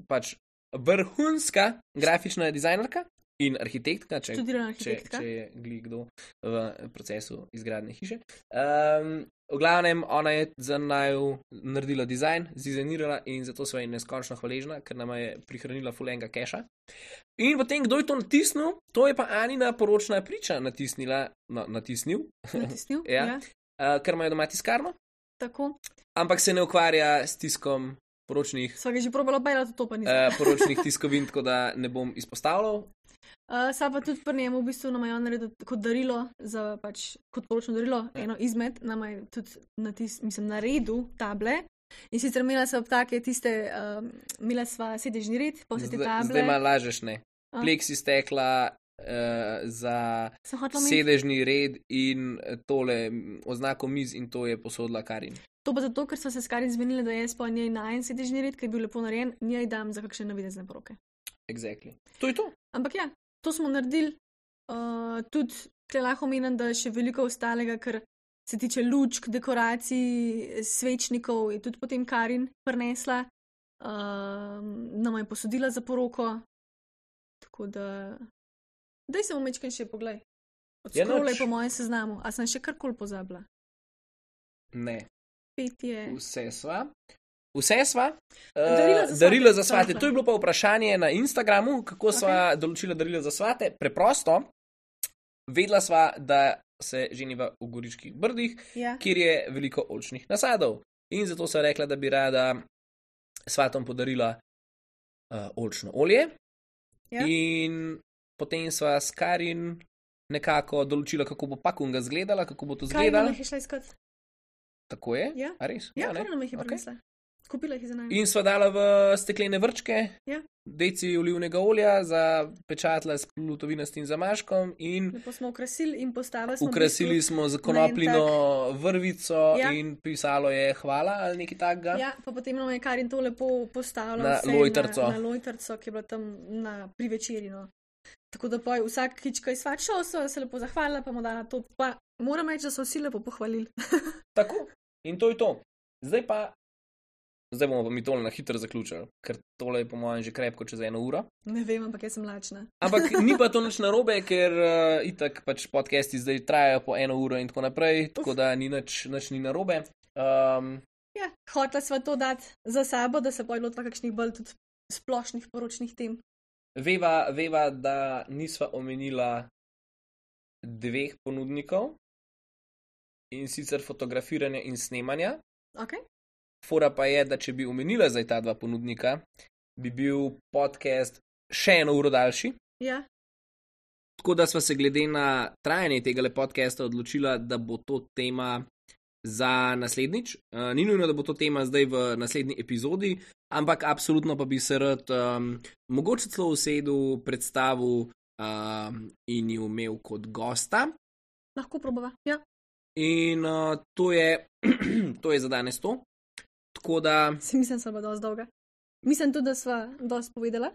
pač vrhunska grafična dizajnerka in arhitektka, če, Študirana če, arhitektka. če je gli kdo v procesu izgradnje hiše. Um, v glavnem, ona je za naju naredila dizajn, zdizajnirala in zato sva ji neskončno hvaležna, ker nam je prihranila fulenga keša. In potem, kdo je to natisnil, to je pa Anina poročna priča natisnila, no, natisnil, Natisnil? Ja. Ja. uh, ker imajo doma tiskarno, Tako. ampak se ne ukvarja s tiskom poročnih, Sva ga že probala bajati, to pa nisem. uh, poročnih tiskovin, tako da ne bom izpostavljal. Uh, Sa pa tudi pri njemu v bistvu nam je on naredil kot darilo, za pač kot poročno darilo, Ja. eno izmed, nam je tudi natis, mislim, naredil table. In sicer imela sva take tiste, um, imela sva sedežni red, pa vse te Zdaj, table. zdaj malo lažeš, ne. A. Pleksi stekla uh, za Sem hotela omeniti. sedežni red in tole m, oznako miz in to je posodila Karin. To pa zato, ker sva se s Karin zmenili, da jaz pa njej najen sedežni red, ki je bil lepo narejen, njej dam za kakšne navidezne poroke. Exactly. To je to. Ampak ja, to smo naredili. Uh, tudi, tle lahko omenim, da je še veliko ostalega, ker se tiče lučk, dekoracij, svečnikov, je tudi potem Karin prinesla, uh, nam je posodila za poroko. Tako da, daj se omečkaj še poglej. Odskrolaj nič. po mojem seznamu. A sem še karkoli pozabila? Ne, Petje. vse sva. Vse sva. Darila za Uh, darila svate, za svate. tako. To je bilo pa vprašanje na Instagramu, kako sva okay. določila darila za svate. Preprosto, vedela sva, da se ženiva v Goriških brdih, Ja. kjer je veliko oljčnih nasadov. In zato sva rekla, da bi rada svatom podarila uh, oljčno olje. Ja. In potem sva s Karin nekako določila, kako bo pakunga zgledala, kako bo to Kaj nam zgledalo. jih je šla iskat? Tako je? Ja. A res? Ja, ne? kar nam jih je Okej. prinesla. Kupila jih je za nami. In sva dala v steklene vrčke, Ja. deci olivnega olja, zapečatila s plutovinastim zamaškom in Lepo smo okrasili in postavili smo. v ukrasili bistvu smo z na en konopljino tak- vrvico Ja. in pisalo je hvala ali nekaj takega. Ja, pa potem nam je Karin to lepo postavila Na vse lojtrico. Na, na lojtrco, ki je bila tam na, pri večerji. No. Tako da poj vsak kička je svačal, so se lepo zahvalila, pa mu dala to. Pa moram reči, da so vsi lepo pohvalili. Tako. In to je to. Zdaj pa, zdaj bomo pa mi tole na hitro zaključili, ker tole je po mojem že krepko čez eno uro. Ne vem, ampak jaz sem lačna. Ampak ni pa to nič narobe, ker uh, itak pač podcasti zdaj trajajo po eno uro in tako naprej, tako da ni nič, nič ni narobe. Um, Ja, hotela sva to dati za sabo, da se poj lotva kakšnih bolj tudi splošnih poročnih tem. veva, veva, da nisva omenila dveh ponudnikov in sicer fotografiranja in snemanja. Okay? Fora pa je, da če bi omenila zdaj ta dva ponudnika, bi bil podcast še eno uro daljši. Ja, Tako da sva se glede na trajanje tega podcasta odločila, da bo to tema za naslednjič. Uh, ni nujno, da bo to tema zdaj v naslednji epizodi, ampak absolutno pa bi se rad um, mogoče celo usedel, predstavil um, in jo imel kot gosta. lahko probava. Ja. In uh, to, je, to je za danes to. Tako da Si mislim, da sva bila dosti dolga. Mislim tudi, da sva dosti povedala.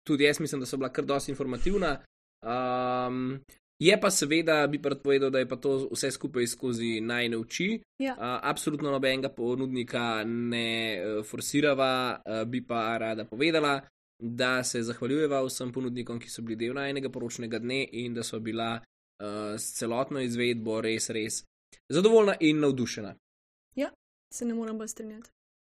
tudi jaz mislim, da so bila kar dosti informativna. Um, je pa seveda, bi pa rad povedal, da je pa to vse skupaj skozi najne oči. Ja. Uh, absolutno nobenega ponudnika ne uh, forsirava, uh, bi pa rada povedala, da se zahvaljujeva vsem ponudnikom, ki so bili del najnega poročnega dne in da so bila uh, s celotno izvedbo res, res zadovoljna in navdušena. Se ne morem bolj strinjati.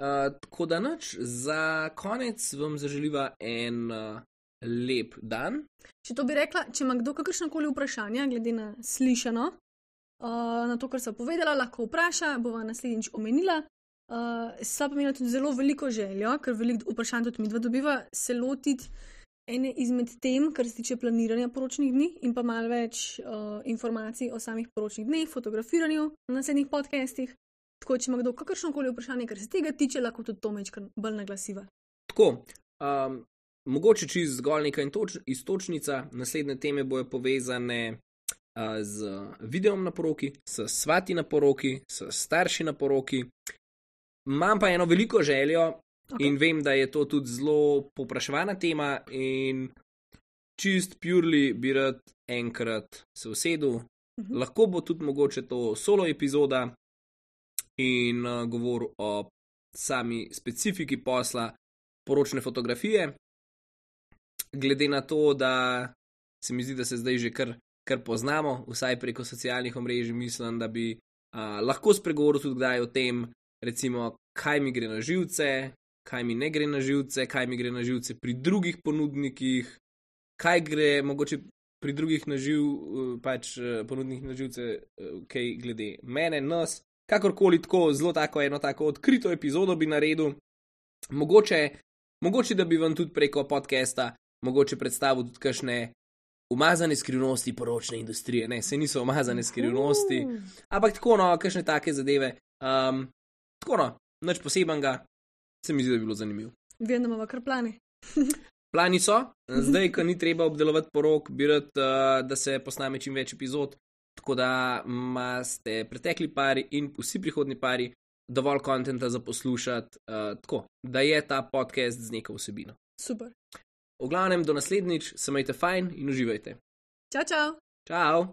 Uh, tako da nič, za konec vam zaželiva en uh, lep dan. Če to bi rekla, če ima kdo kakršnakoli vprašanja, glede na slišano, uh, na to, kar sem povedala, lahko vpraša, bova naslednjič omenila. Uh, sva pa imela tudi zelo veliko željo, ker veliko vprašanj tudi mi dva dobiva, se lotiti ene izmed tem, kar se tiče planiranja poročnih dni in pa malo več uh, informacij o samih poročnih dneh, fotografiranju na naslednjih podcastih. Tako, če ima kdo kakršnokoli vprašanje, kar se tega tiče, lahko tudi to mečkar bolj naglasiva. Tako, um, mogoče čist zgolj neka intoč- istočnica, naslednje teme bojo povezane uh, z videom na poroki, s svati na poroki, s starši na poroki. Imam pa eno veliko željo Okay. in vem, da je to tudi zelo popraševana tema in čist purely bi rad enkrat se usedel. Mhm. Lahko bo tudi mogoče to solo epizoda in uh, govoril o sami specifiki posla poročne fotografije. Glede na to, da se mi zdi, da se zdaj že kar, kar poznamo, vsaj preko socialnih omrežij, mislim, da bi uh, lahko spregovoril tudi kdaj o tem, recimo, kaj mi gre na živce, kaj mi ne gre na živce, kaj mi gre na živce pri drugih ponudnikih, kaj gre mogoče pri drugih na živ, uh, pač uh, ponudnikih na živce, uh, kaj glede mene, nas. Kakorkoli tako, zelo tako eno tako odkrito epizodo bi naredil. Mogoče, mogoče da bi vam tudi preko podcasta mogoče predstavil tudi kakšne umazane skrivnosti poročne industrije. Ne, se niso umazane skrivnosti, Uh. ampak tako no, kakšne take zadeve. Um, tako no, nič posebenega, se mi zdi, da bi bilo zanimivo. Vem, da imamo kar plane. Plani so, zdaj, ko ni treba obdelovati porok, bi rad, uh, da se posname čim več epizod, tako da imate pretekli pari in vsi prihodni pari dovolj kontenta za poslušati, uh, tako da je ta podcast z neko vsebino. Super. V glavnem, do naslednjič, se majte fajn in uživajte. Čau, čau. Čau!